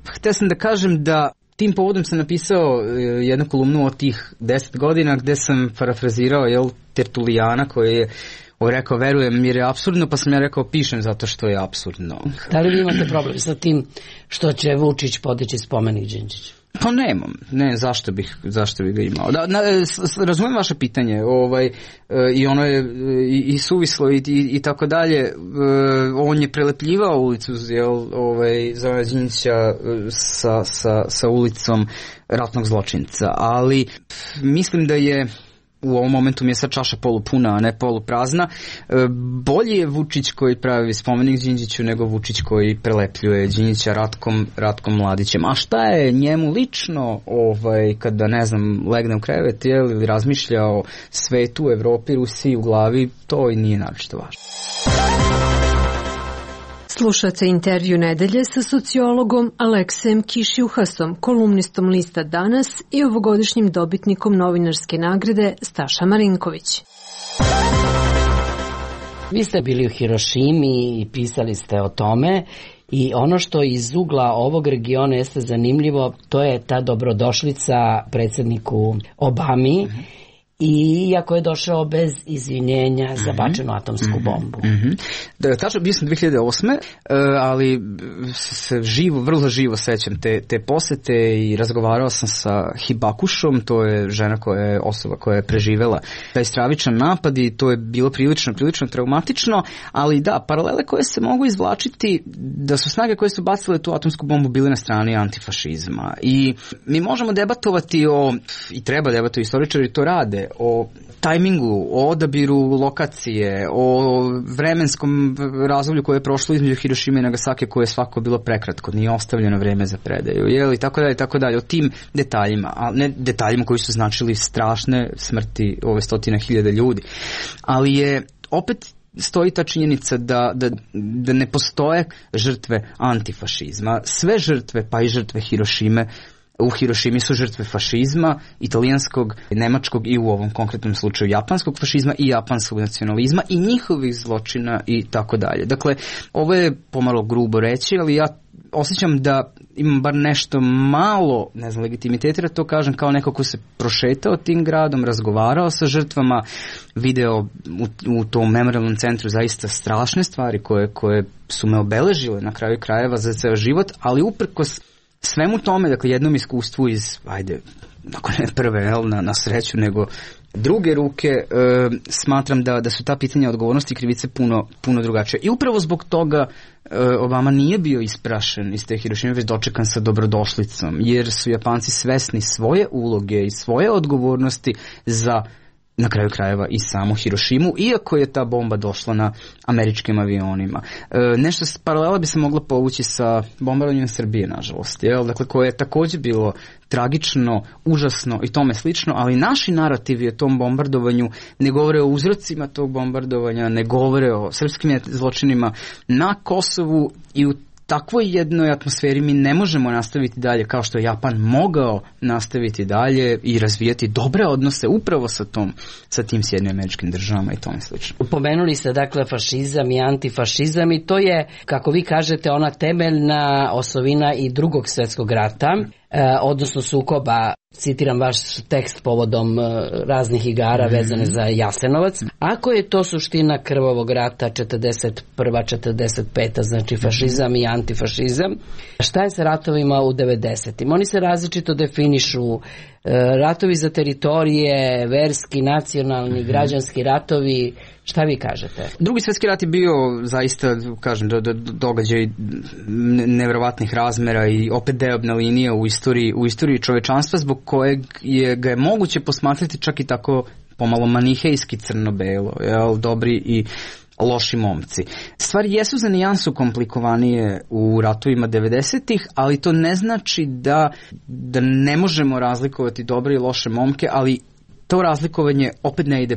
Htio sam da kažem da tim povodom sam napisao jednu kolumnu od tih 10 godina gde sam parafrazirao Tertulijana koji je rekao verujem jer je apsurdno, pa sam ja rekao pišem zato što je apsurdno. Da li vi imate problem sa tim što će Vučić podići spomenik Đinđiću? Pa nemam, zašto bih ga imao. Razumijem vaše pitanje, i ono je i suvislo i tako dalje. On je prelepljivao ulicu Zorana Đinđića sa ulicom ratnog zločinca, ali mislim da je u ovom momentu mi je sad čaša polupuna, a ne poluprazna. Bolji je Vučić koji pravi spomenik Đinđiću nego Vučić koji prelepljuje Đinđića Ratkom Mladićem. A šta je njemu lično kada, ne znam, legne u krevet ili razmišlja o svetu, Evropi, Rusiji u glavi, to i nije naročito važno. Slušate intervju nedelje sa sociologom Aleksejem Kišjuhasom, kolumnistom lista Danas i ovogodišnjim dobitnikom novinarske nagrade Staša Marinković. Vi ste bili u Hirošimi i pisali ste o tome i ono što iz ugla ovog regiona jeste zanimljivo, to je ta dobrodošlica predsjedniku Obami. I iako je došao bez izvinjenja za bačenu atomsku bombu. Tačno, bio sam 2008. Ali se vrlo živo sećam te posete i razgovarao sam sa Hibakušom, to je žena osoba koja je preživela taj stravičan napad i to je bilo prilično traumatično, ali da, paralele koje se mogu izvlačiti da su snage koje su bacile tu atomsku bombu bile na strani antifašizma. I mi možemo debatovati i treba debatovati, istoričari to rade, o tajmingu, o odabiru lokacije, o vremenskom razdoblju koje je prošlo između Hirošime i Nagasake koje je svako bilo prekratko, nije ostavljeno vreme za predaju, i tako dalje, o tim detaljima, a ne detaljima koji su značili strašne smrti ove 100.000 ljudi. Ali je opet stoji ta činjenica da ne postoje žrtve antifašizma. Sve žrtve, pa i žrtve Hirošime, u Hirošimi su žrtve fašizma, italijanskog, nemačkog i u ovom konkretnom slučaju japanskog fašizma i japanskog nacionalizma i njihovih zločina i tako dalje. Dakle, ovo je pomalo grubo reći, ali ja osjećam da imam bar nešto malo, ne znam, legitimiteta, da to kažem kao neko ko se prošetao tim gradom, razgovarao sa žrtvama, video u tom memorialnom centru zaista strašne stvari koje su me obeležile na kraju krajeva za ceo život, ali uprkos svemu tome, dakle jednom iskustvu iz, ako ne prve, na sreću, nego druge ruke, smatram da su ta pitanja odgovornosti i krivice puno drugačije. I upravo zbog toga Obama nije bio isprašen iz te Hirošime, već dočekan sa dobrodošlicom, jer su Japanci svesni svoje uloge i svoje odgovornosti za, na kraju krajeva, i samu Hirošimu, iako je ta bomba došla na američkim avionima. Nešto paralela bi se mogla povući sa bombardovanjem Srbije, nažalost, dakle, koje je također bilo tragično, užasno i tome slično, ali naši narativi o tom bombardovanju ne govore o uzrocima tog bombardovanja, ne govore o srpskim zločinima na Kosovu, i u takvoj jednoj atmosferi mi ne možemo nastaviti dalje kao što je Japan mogao nastaviti dalje i razvijati dobre odnose upravo sa tim Sjedinjenim Američkim Državama i tome slično. Pomenuli ste dakle fašizam i antifašizam i to je, kako vi kažete, ona temeljna osovina i Drugog svjetskog rata, odnosno sukoba, citiram vaš tekst povodom raznih igara vezane za Jasenovac. Ako je to suština krvavog rata 41. 45. znači fašizam i antifašizam, šta je sa ratovima u 90. Oni se različito definišu ratovi za teritorije, verski, nacionalni, građanski ratovi, šta vi kažete? Drugi svjetski rat je bio zaista, kažem, događaj nevjerovatnih razmera i opet deobna linija u istoriji čovečanstva, zbog kojeg ga je moguće posmatrati čak i tako pomalo manihejski crno-belo, dobri i loši momci. Stvari jesu za nijansu komplikovanije u ratovima 90-ih, ali to ne znači da ne možemo razlikovati dobre i loše momke, ali to razlikovanje opet ne ide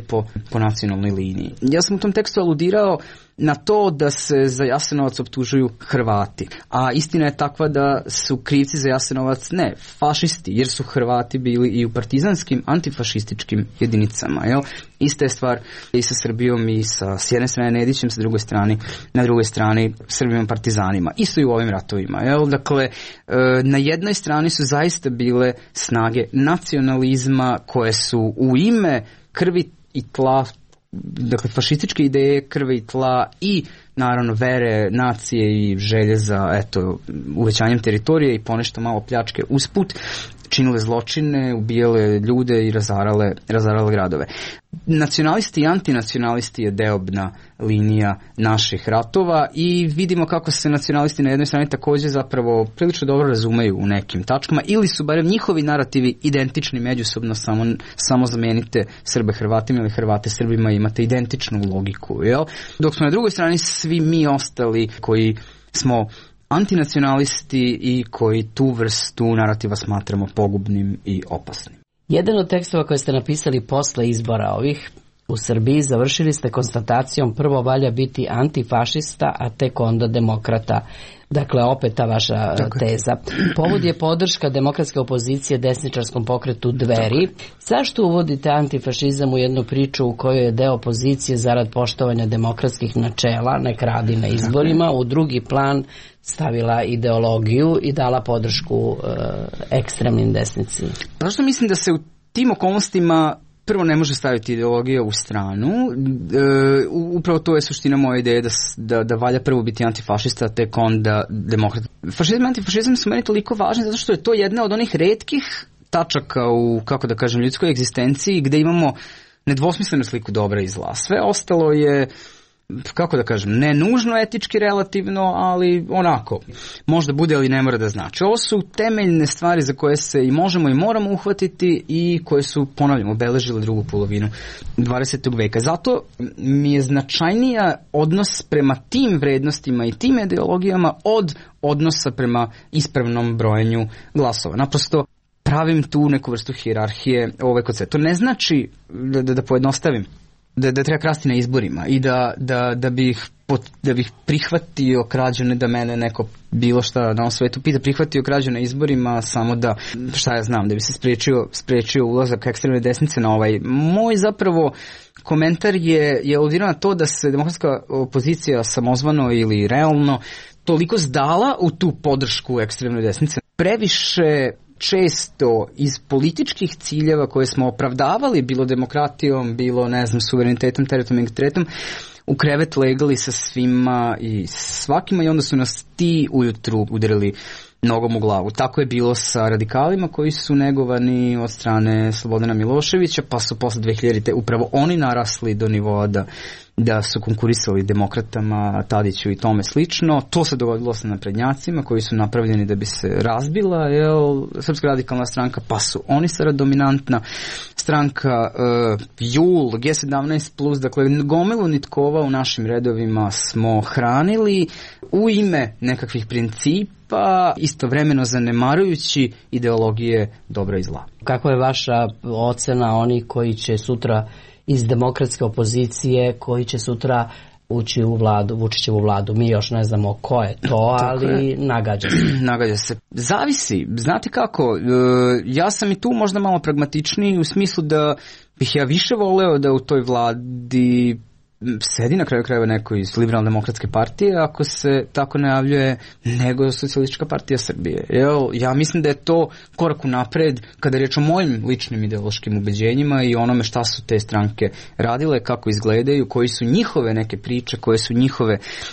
po nacionalnoj liniji. Ja sam u tom tekstu aludirao na to da se za Jasenovac optužuju Hrvati, a istina je takva da su krivci za Jasenovac ne fašisti, jer su Hrvati bili i u partizanskim antifašističkim jedinicama. Jel? Ista je stvar i sa Srbijom i s jedne strane Nedićem, na drugoj strani Srbijom partizanima. Isto i u ovim ratovima. Jel? Dakle, na jednoj strani su zaista bile snage nacionalizma koje su u ime krvi i tla, dakle fašističke ideje krvi i tla i naravno vere, nacije i želje za uvećanjem teritorije i ponešto malo pljačke usput, činile zločine, ubijale ljude i razarale gradove. Nacionalisti i antinacionalisti je deobna linija naših ratova i vidimo kako se nacionalisti na jednoj strani također zapravo prilično dobro razumeju u nekim tačkama ili su barem njihovi narativi identični međusobno, samo zamenite Srbe Hrvatima ili Hrvate Srbima, imate identičnu logiku. Jel? Dok smo na drugoj strani svi mi ostali koji smo antinacionalisti i koji tu vrstu narativa smatramo pogubnim i opasnim. Jedan od tekstova koje ste napisali posle izbora ovih u Srbiji završili ste konstatacijom: prvo valja biti antifašista, a tek onda demokrata. Dakle, opet ta vaša teza. Povod je podrška demokratske opozicije desničarskom pokretu Dveri. Zašto uvodite antifašizam u jednu priču u kojoj je deo opozicije zarad poštovanja demokratskih načela, nek radi na izborima, u drugi plan stavila ideologiju i dala podršku ekstremnim desnici? Zašto mislim da se u tim okolnostima prvo ne može staviti ideologija u stranu, upravo to je suština moje ideje da valja prvo biti antifašista, tek onda demokrat. Fašizam i antifašizam su meni toliko važni zato što je to jedna od onih retkih tačaka u, kako da kažem, ljudskoj egzistenciji gde imamo nedvosmislenu sliku dobra i zla. Sve ostalo je, kako da kažem, ne nužno etički relativno, ali onako, možda bude, ali ne mora da znači. Ovo su temeljne stvari za koje se i možemo i moramo uhvatiti i koje su, ponavljamo, obeležile drugu polovinu 20. veka. Zato mi je značajnija odnos prema tim vrednostima i tim ideologijama od odnosa prema ispravnom brojenju glasova. Naprosto pravim tu neku vrstu hijerarhije kod sve. To ne znači, da pojednostavim, da treba krasti na izborima i da bih prihvatio krađu, ne da mene neko bilo šta na ovom svetu pita, prihvatio krađu na izborima samo da, šta ja znam, da bi se spriječio ulazak ekstremne desnice na ovaj. Moj zapravo komentar je aludirao na to da se demokratska opozicija samozvano ili realno toliko zdala u tu podršku ekstremne desnice. Previše često iz političkih ciljeva koje smo opravdavali, bilo demokratijom, bilo, ne znam, suverenitetom, teritorijalnim integritetom, u krevet legali sa svima i svakima i onda su nas ti ujutru udarili nogom u glavu. Tako je bilo sa radikalima koji su negovani od strane Slobodana Miloševića, pa su posle 2000-te upravo oni narasli do nivoa da su konkurisali demokratama, Tadiću i tome slično. To se dogodilo sa naprednjacima koji su napravljeni da bi se razbila Srpska radikalna stranka, pa su oni sada dominantna stranka. JUL, G17+, dakle gomilu nitkova u našim redovima smo hranili u ime nekakvih principa, istovremeno zanemarujući ideologije dobra i zla. Kako je vaša ocena onih koji će sutra iz demokratske opozicije, koji će sutra ući u vladu, Vučićevu vladu? Mi još ne znamo ko je to, ali nagađa se. Nagađa se. Zavisi. Znate kako, ja sam i tu možda malo pragmatičniji u smislu da bih ja više voleo da u toj vladi sedi na kraju krajeva neko iz Liberalne demokratske partije, ako se tako najavljuje, nego Socijalistička partija Srbije. Ja mislim da je to korak napred kada je riječ o mojim ličnim ideološkim ubeđenjima i onome šta su te stranke radile, kako izgledaju, koji su njihove neke priče, koje su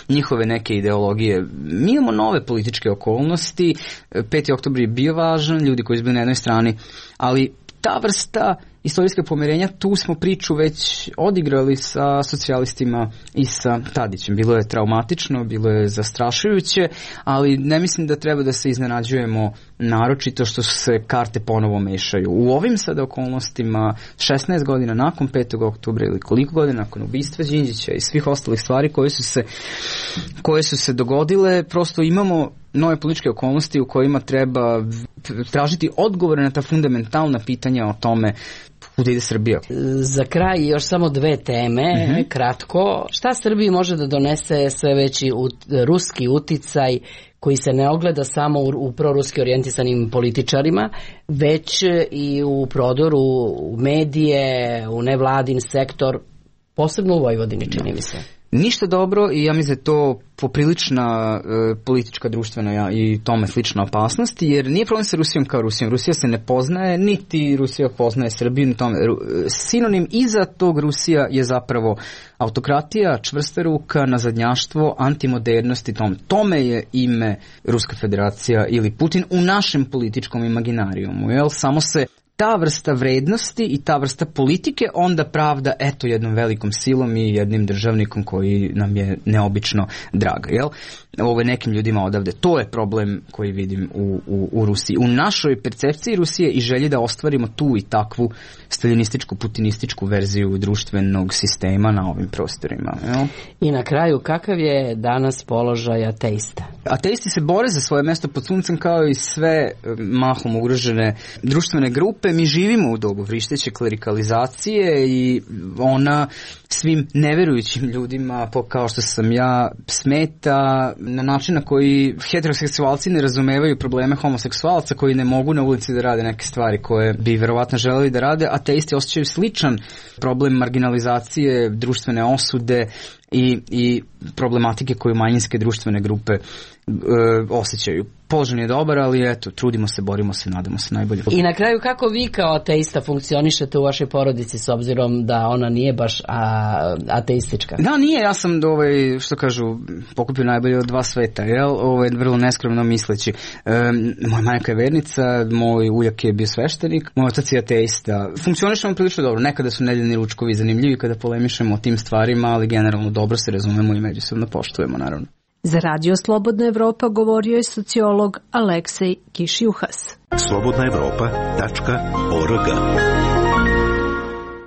njihove neke ideologije. Mi imamo nove političke okolnosti, 5. oktobar je bio važan, ljudi koji su bili na jednoj strani, ali ta vrsta istorijskog pomirenja, tu smo priču već odigrali sa socijalistima i sa Tadićem. Bilo je traumatično, bilo je zastrašujuće, ali ne mislim da treba da se iznenađujemo naročito što se karte ponovo mešaju. U ovim sada okolnostima 16 godina nakon 5. oktobra ili koliko godina nakon ubistva Đinđića i svih ostalih stvari koje su se dogodile, prosto imamo nove političke okolnosti u kojima treba tražiti odgovore na ta fundamentalna pitanja o tome kuda ide Srbija. Za kraj još samo 2 teme, kratko. Šta Srbiji može da donese sve veći ruski uticaj koji se ne ogleda samo u proruski orijentisanim političarima, već i u prodoru u medije, u nevladin sektor, posebno u Vojvodini, čini mi se? Ništa dobro i ja mislim da je to poprilična politička, društvena i tome slična opasnost, jer nije problem sa Rusijom kao Rusijom. Rusija se ne poznaje, niti Rusija poznaje Srbiju. Sinonim iza tog Rusija je zapravo autokratija, čvrsta ruka, nazadnjaštvo, antimodernost i tome je ime Ruska federacija ili Putin u našem političkom imaginarijumu. Jel? Samo se ta vrsta vrednosti i ta vrsta politike onda pravda jednom velikom silom i jednim državnikom koji nam je neobično drag. Jel? Ovo je nekim ljudima odavde. To je problem koji vidim u Rusiji. U našoj percepciji Rusije i želji da ostvarimo tu i takvu staljinističku, putinističku verziju društvenog sistema na ovim prostorima. Jel? I na kraju, kakav je danas položaj ateista? Ateisti se bore za svoje mesto pod suncem kao i sve mahom ugrožene društvene grupe. Mi živimo u dobu vrišteće klerikalizacije i ona svim neverujućim ljudima, kao što sam ja, smeta na način na koji heteroseksualci ne razumevaju probleme homoseksualaca koji ne mogu na ulici da rade neke stvari koje bi verovatno želeli da rade. Ateisti osjećaju sličan problem marginalizacije, društvene osude i problematike koju manjinske društvene grupe osjećaju. Položaj je dobar, ali trudimo se, borimo se, nadamo se najbolje. I na kraju, kako vi kao ateista funkcionišete u vašoj porodici s obzirom da ona nije baš ateistička? Da, nije, ja sam što kažu, pokupio najbolje od 2 sveta, vrlo neskromno misleći. Moja majka je vernica, moj ujak je bio sveštenik, moj otac je ateista. Funkcionišemo prilično dobro, nekada su nedeljni ručkovi zanimljivi kada polemišemo o tim stvarima, ali generalno dobro se razumemo i međusobno poštujemo, naravno. Za Radio Slobodna Evropa govorio je sociolog Aleksej Kišjuhas. slobodnaevropa.org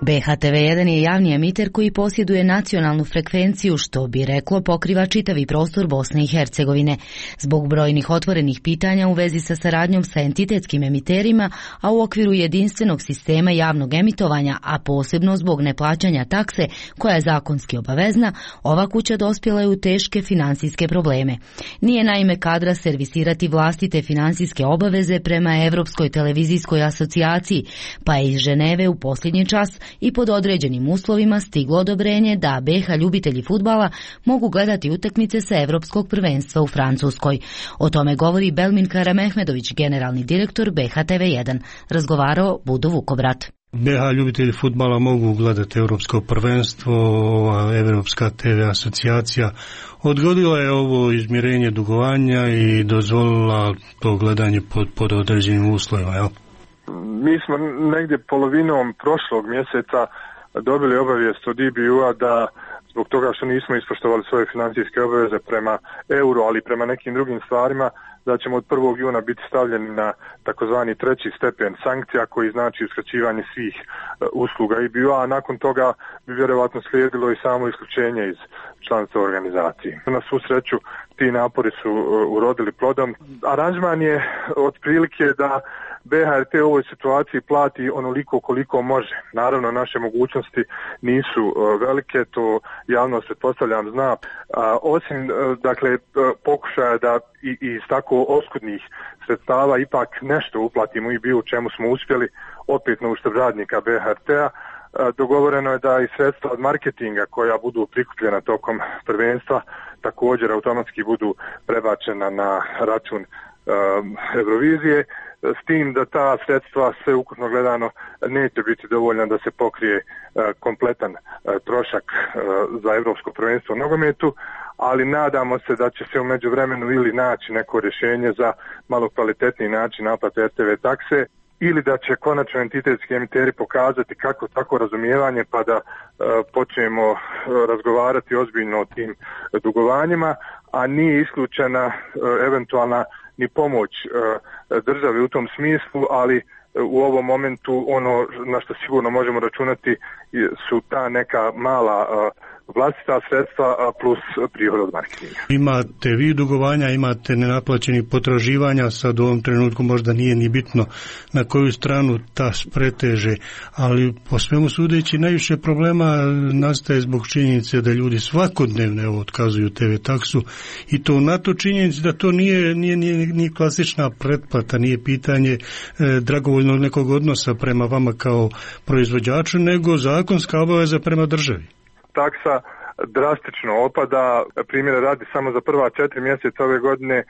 BHTV1 je javni emiter koji posjeduje nacionalnu frekvenciju, što bi reklo pokriva čitavi prostor Bosne i Hercegovine. Zbog brojnih otvorenih pitanja u vezi sa saradnjom sa entitetskim emiterima, a u okviru jedinstvenog sistema javnog emitovanja, a posebno zbog neplaćanja takse koja je zakonski obavezna, ova kuća dospjela je u teške finansijske probleme. Nije naime kadra servisirati vlastite finansijske obaveze prema Evropskoj televizijskoj asocijaciji, pa je iz Ženeve u posljednji čas i pod određenim uslovima stiglo odobrenje da BiH ljubitelji fudbala mogu gledati utakmice sa Evropskog prvenstva u Francuskoj. O tome govori Belmin Karamehmedović, generalni direktor BHTV1. Razgovarao Budo Vukobrat. BiH ljubitelji fudbala mogu gledati Evropsko prvenstvo, Evropska TV asocijacija odgodila je ovo izmirenje dugovanja i dozvolila to gledanje pod određenim uslovima, jel? Mi smo negdje polovinom prošlog mjeseca dobili obavijest od EBU-a da zbog toga što nismo ispoštovali svoje financijske obaveze prema euro, ali prema nekim drugim stvarima, da ćemo od 1. juna biti stavljeni na takozvani 3. stepen sankcija koji znači uskraćivanje svih usluga EBU-a, a nakon toga bi vjerovatno slijedilo i samo isključenje iz članstva organizacije. Na svu sreću ti napori su urodili plodom. Aranžman je otprilike da BHRT u ovoj situaciji plati onoliko koliko može. Naravno, naše mogućnosti nisu velike, to javnost pretpostavljam zna. Osim, pokušaja da iz tako oskudnih sredstava ipak nešto uplatimo i bio u čemu smo uspjeli, opet na uštrb radnika BHRT-a, dogovoreno je da i sredstva od marketinga koja budu prikupljena tokom prvenstva također automatski budu prebačena na račun Eurovizije, s tim da ta sredstva sve ukupno gledano neće biti dovoljna da se pokrije kompletan trošak za Europsko prvenstvo u nogometu, ali nadamo se da će se u međuvremenu ili naći neko rješenje za malo kvalitetniji način naplate RTV takse. ili da će konačno entitetski emiteri pokazati kako tako razumijevanje pa da počnemo razgovarati ozbiljno o tim dugovanjima, a nije isključena eventualna ni pomoć države u tom smislu, ali u ovom momentu ono na što sigurno možemo računati su ta neka mala vlastita sredstva plus prihod od marketinga. Imate vi dugovanja, imate nenaplaćenih potraživanja, sad u ovom trenutku možda nije ni bitno na koju stranu ta preteže, ali po svemu sudeći najviše problema nastaje zbog činjenice da ljudi svakodnevno otkazuju TV taksu i to na to činjenici da to nije klasična pretplata, nije pitanje dragovoljnog nekog odnosa prema vama kao proizvođaču, nego zakonska obaveza prema državi. Taksa drastično opada, primjera radi samo za prva 4 mjeseca ove godine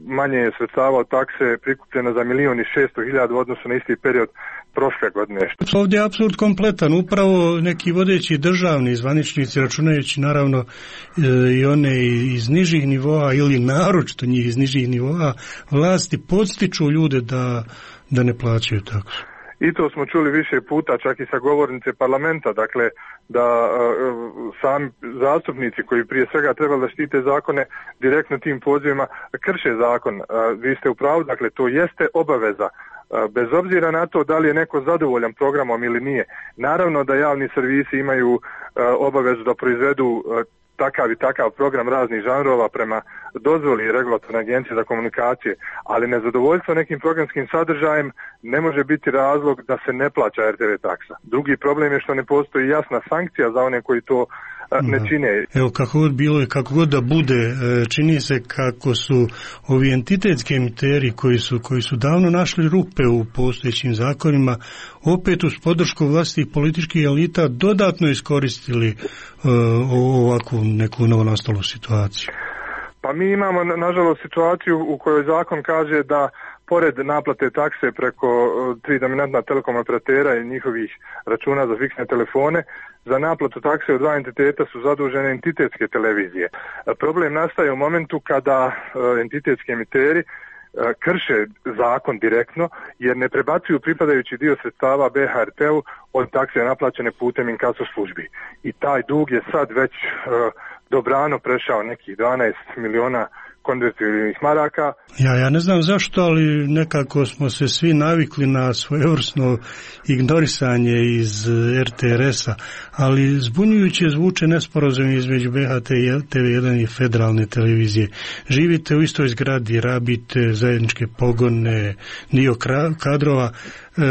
manje je sredstava od takse prikupljeno za 1.600.000 u odnosu na isti period prošle godine. Ovdje je apsurd kompletan, upravo neki vodeći državni zvaničnici, računajući naravno i one iz nižih nivoa ili naročito njih iz nižih nivoa vlasti, podstiču ljude da ne plaćaju taksu. I to smo čuli više puta, čak i sa govornice parlamenta, dakle da sami zastupnici koji prije svega trebali da štite zakone direktno tim pozivima krše zakon. Vi ste u pravu, dakle to jeste obaveza, bez obzira na to da li je neko zadovoljan programom ili nije. Naravno da javni servisi imaju obavezu da proizvedu takav i takav program raznih žanrova prema dozvoli regulatorne agencije za komunikacije, ali nezadovoljstvo nekim programskim sadržajem ne može biti razlog da se ne plaća RTV taksa. Drugi problem je što ne postoji jasna sankcija za one koji to ne čine. Evo, kako god bilo i kako god da bude, čini se kako su ovi entitetski emiteri koji su davno našli rupe u postojećim zakonima, opet uz podršku vlastitih političkih elita dodatno iskoristili ovakvu neku novonastalu situaciju. Pa mi imamo nažalost situaciju u kojoj zakon kaže da pored naplate takse preko 3 dominantna telekom operatera i njihovih računa za fiksne telefone, za naplatu takse od 2 entiteta su zadužene entitetske televizije. Problem nastaje u momentu kada entitetski emiteri krše zakon direktno jer ne prebacuju pripadajući dio sredstava BHRT-u od takse naplaćene putem inkaso službi. I taj dug je sad već dobrano prešao nekih 12 miliona konvertibilnih maraka. Ja ne znam zašto, ali nekako smo se svi navikli na svojevrsno ignorisanje iz RTRS-a, ali zbunjujuće zvuče nesporazumi između BHT i TV1 i federalne televizije. Živite u istoj zgradi, rabite zajedničke pogone, dio kadrova,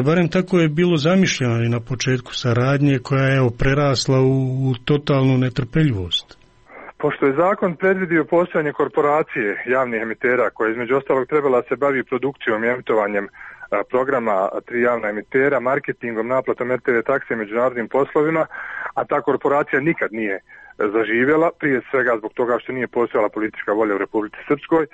barem tako je bilo zamišljeno i na početku saradnje koja je prerasla u totalnu netrpeljivost. Pošto je zakon predvidio postojanje korporacije javnih emitera koja između ostalog trebala se bavi produkcijom i emitovanjem programa 3 javna emitera, marketingom, naplatom RTV takse i međunarodnim poslovima, a ta korporacija nikad nije zaživjela, prije svega zbog toga što nije postojala politička volja u Republici Srpskoj,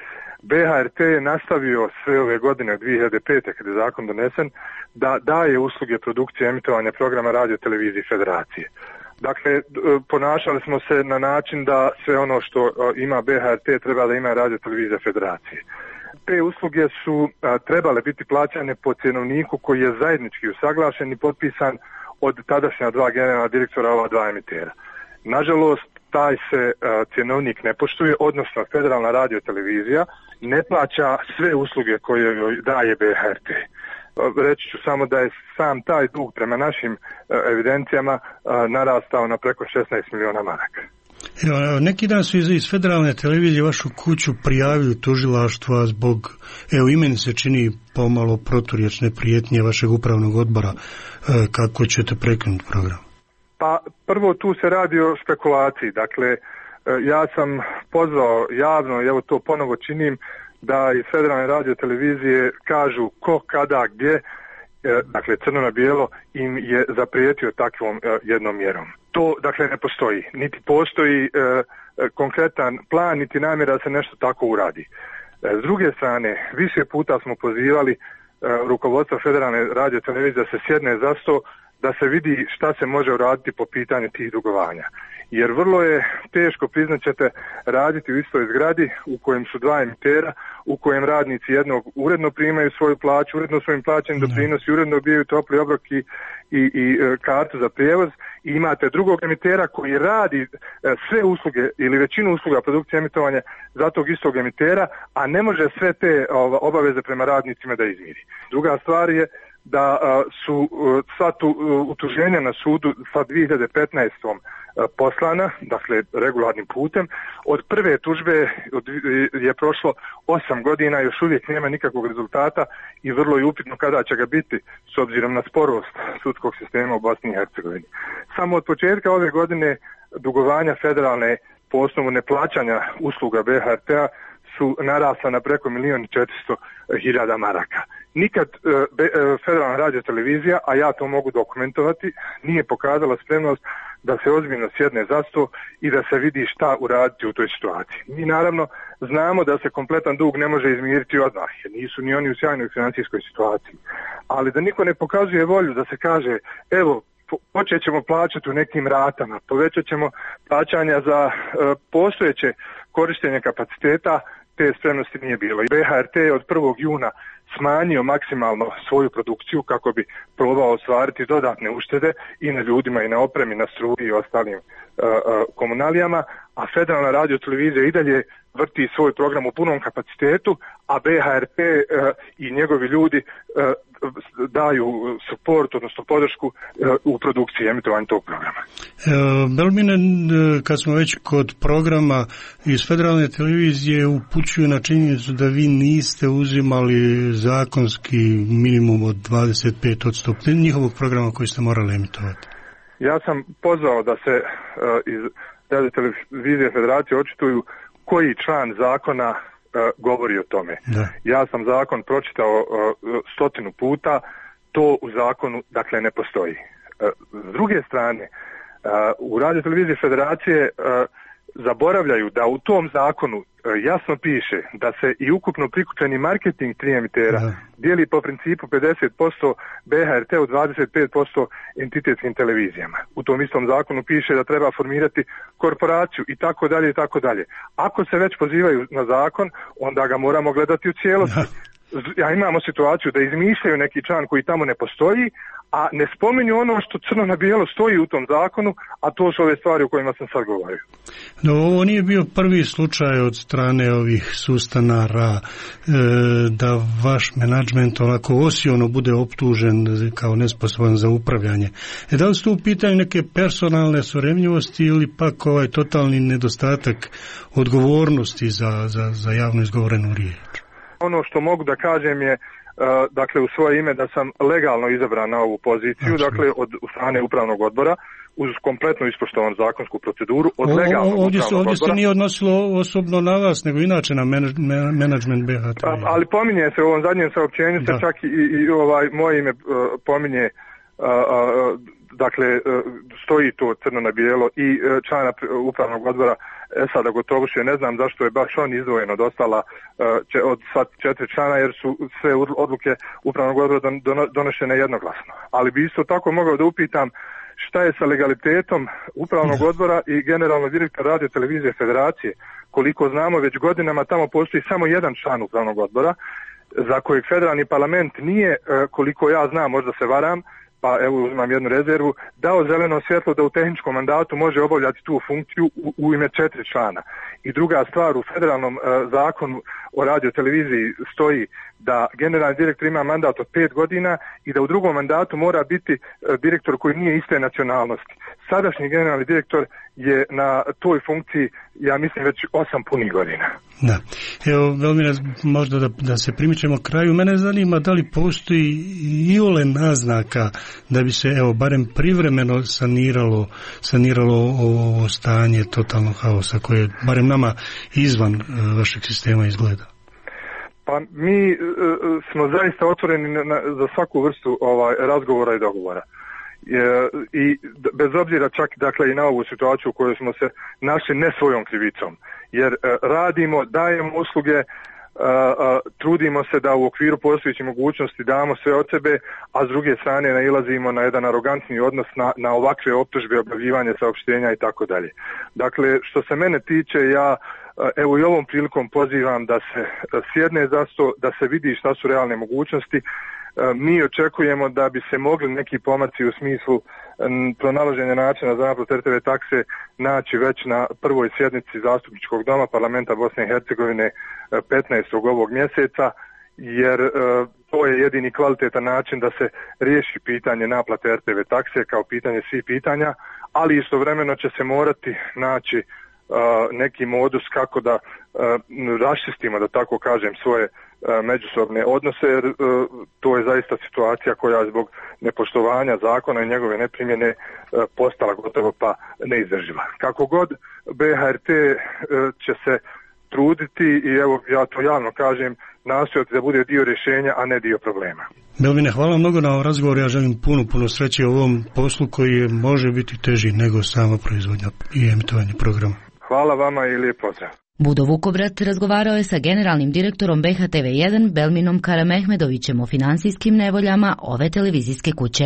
BHRT je nastavio sve ove godine od 2005. kada je zakon donesen da daje usluge produkcije emitovanja programa radio televizije federacije. Dakle, ponašali smo se na način da sve ono što ima BHRT treba da ima radio televizija federacije. Te usluge su trebale biti plaćane po cjenovniku koji je zajednički usaglašen i potpisan od tadašnja 2 generalna direktora ova 2 emitera. Nažalost, taj se cjenovnik ne poštuje, odnosno federalna radio televizija ne plaća sve usluge koje joj daje BHRT. Reći ću samo da je sam taj dug prema našim evidencijama narastao na preko 16 miliona maraka. Evo, neki dan su iz federalne televizije vašu kuću prijavili tužilaštva zbog, i meni se čini pomalo proturječne prijetnje vašeg upravnog odbora. Kako ćete prekinuti program? Pa prvo tu se radi o špekulaciji. Dakle, ja sam pozvao javno, i evo to ponovo činim, da iz federalne radio televizije kažu ko, kada, gdje, dakle crno na bijelo, im je zaprijetio takvom jednom mjerom. To dakle ne postoji, niti postoji konkretan plan, niti namjera da se nešto tako uradi. S druge strane, više puta smo pozivali rukovodstvo federalne radio televizije da se sjedne za sto, da se vidi šta se može uraditi po pitanju tih dugovanja. jer vrlo je teško, priznaćete, raditi u istoj zgradi u kojem su dva emitera, u kojem radnici jednog uredno primaju svoju plaću, uredno svojim plaćanjem doprinosi, uredno dobijaju topli obrok i kartu za prijevoz, i imate drugog emitera koji radi sve usluge ili većinu usluga produkcije emitovanja za tog istog emitera, a ne može sve te obaveze prema radnicima da izmiri. Druga stvar je da su sva utuženja na sudu sa 2015. poslana, dakle regularnim putem. Od prve tužbe je prošlo 8 godina, još uvijek nema nikakvog rezultata i vrlo je upitno kada će ga biti s obzirom na sporost sudskog sistema u Bosni i Hercegovini. Samo od početka ove godine dugovanja federalne po osnovu neplaćanja usluga BHRT-a su narasla na preko 1.400.000 maraka. Nikad Federalna radiotelevizija, a ja to mogu dokumentovati, nije pokazala spremnost da se ozbiljno sjedne za sto i da se vidi šta uraditi u toj situaciji. Mi naravno znamo da se kompletan dug ne može izmiriti odmah, jer nisu ni oni u sjajnoj financijskoj situaciji. Ali da niko ne pokazuje volju da se kaže, evo, počet ćemo plaćati u nekim ratama, povećat ćemo plaćanja za postojeće korištenje kapaciteta, te spremnosti nije bilo. I BHRT je od 1. juna smanjio maksimalno svoju produkciju kako bi probao ostvariti dodatne uštede i na ljudima i na opremi, na struji i ostalim komunalijama, a Federalna radiotelevizija i dalje vrti svoj program u punom kapacitetu, a BHRT i njegovi ljudi daju suport, odnosno podršku u produkciji emitovanja tog programa. Belmine, kad smo već kod programa iz Federalne televizije, upućuju na činjenicu da vi niste uzimali zakonski minimum od 25% njihovog programa koji ste morali emitovati. Ja sam pozvao da se iz televizije Federacije očituju koji član zakona govori o tome. Da. Ja sam zakon pročitao 100 puta, to u zakonu dakle ne postoji. S druge strane, u radioteleviziji Federacije zaboravljaju da u tom zakonu jasno piše da se i ukupno prikučeni marketing 3 emitera dijeli po principu 50% BHRT u 25% entitetskim televizijama. U tom istom zakonu piše da treba formirati korporaciju i tako dalje i tako dalje. Ako se već pozivaju na zakon, onda ga moramo gledati u cijelosti. Ja imamo situaciju da izmišljaju neki član koji tamo ne postoji, a ne spominju ono što crno na bijelo stoji u tom zakonu, a to su ove stvari o kojima sam sad govorio. No, ovo nije bio prvi slučaj od strane ovih sustanara da vaš menadžment onako osiono bude optužen kao nesposoban za upravljanje. Da li su tu u pitanju neke personalne surevnjivosti ili pak ovaj totalni nedostatak odgovornosti za javno izgovorenu riječ? Ono što mogu da kažem je, dakle, u svoje ime da sam legalno izabran na ovu poziciju, dakle, od strane upravnog odbora, uz kompletno ispoštovan zakonsku proceduru, od legalnog upravnog odbora. Ovdje se nije odnosilo osobno na vas, nego inače na menadžment BHT. Ali pominje se u ovom zadnjem saopćenju, se čak i moje ime pominje, dakle, stoji to crno na bijelo i člana upravnog odbora Esada Gotovuše. Ne znam zašto je baš on izdvojen od ostala od sva 4 člana, jer su sve odluke upravnog odbora donošene jednoglasno. Ali bi isto tako mogao da upitam šta je sa legalitetom upravnog odbora i generalnog direktora radiotelevizije Federacije. Koliko znamo, već godinama tamo postoji samo jedan član upravnog odbora, za kojeg federalni parlament nije, koliko ja znam, možda se varam, pa evo imam jednu rezervu, dao zeleno svjetlo da u tehničkom mandatu može obavljati tu funkciju u ime 4 člana. I druga stvar, u federalnom zakonu o radioteleviziji stoji da generalni direktor ima mandat od 5 godina i da u drugom mandatu mora biti direktor koji nije iste nacionalnosti. Sadašnji generalni direktor je na toj funkciji, ja mislim, već 8 punih godina. Da. Evo, Belmine, možda da se primičemo kraju. Mene zanima da li postoji iole naznaka da bi se, evo, barem privremeno saniralo ovo stanje totalnog haosa koje barem nama izvan vašeg sistema izgleda. Pa mi smo zaista otvoreni za svaku vrstu razgovora i dogovora. I bez obzira čak, dakle, i na ovu situaciju u kojoj smo se našli ne svojom krivicom, jer radimo, dajemo usluge, trudimo se da u okviru postojećih mogućnosti damo sve od sebe, a s druge strane nailazimo na jedan arogantni odnos na ovakve optužbe, objavljivanje saopštenja i tako dalje. Dakle, što se mene tiče, ja evo i ovom prilikom pozivam da se sjedne za sto, da se vidi šta su realne mogućnosti. Mi očekujemo da bi se mogli neki pomaci u smislu pronalaženja načina za naplatu RTV takse naći već na prvoj sjednici Zastupničkog doma Parlamenta Bosne i Hercegovine 15. ovog mjeseca, jer to je jedini kvalitetan način da se riješi pitanje naplate RTV takse kao pitanje svih pitanja, ali istovremeno će se morati naći neki modus kako da raščistimo, da tako kažem, svoje međusobne odnose, jer to je zaista situacija koja zbog nepoštovanja zakona i njegove neprimjene postala gotovo pa neizdrživa. Kako god, BHRT će se truditi i evo ja to javno kažem, nastojati da bude dio rješenja, a ne dio problema. Belmine, hvala mnogo na ovom razgovoru, ja želim puno sreće u ovom poslu koji može biti teži nego sama proizvodnja i emitovanje programa. Hvala vama i lijep pozdrav. Budo Vukovrat razgovarao je sa generalnim direktorom BHTV1 Belminom Karamehmedovićem o financijskim nevoljama ove televizijske kuće.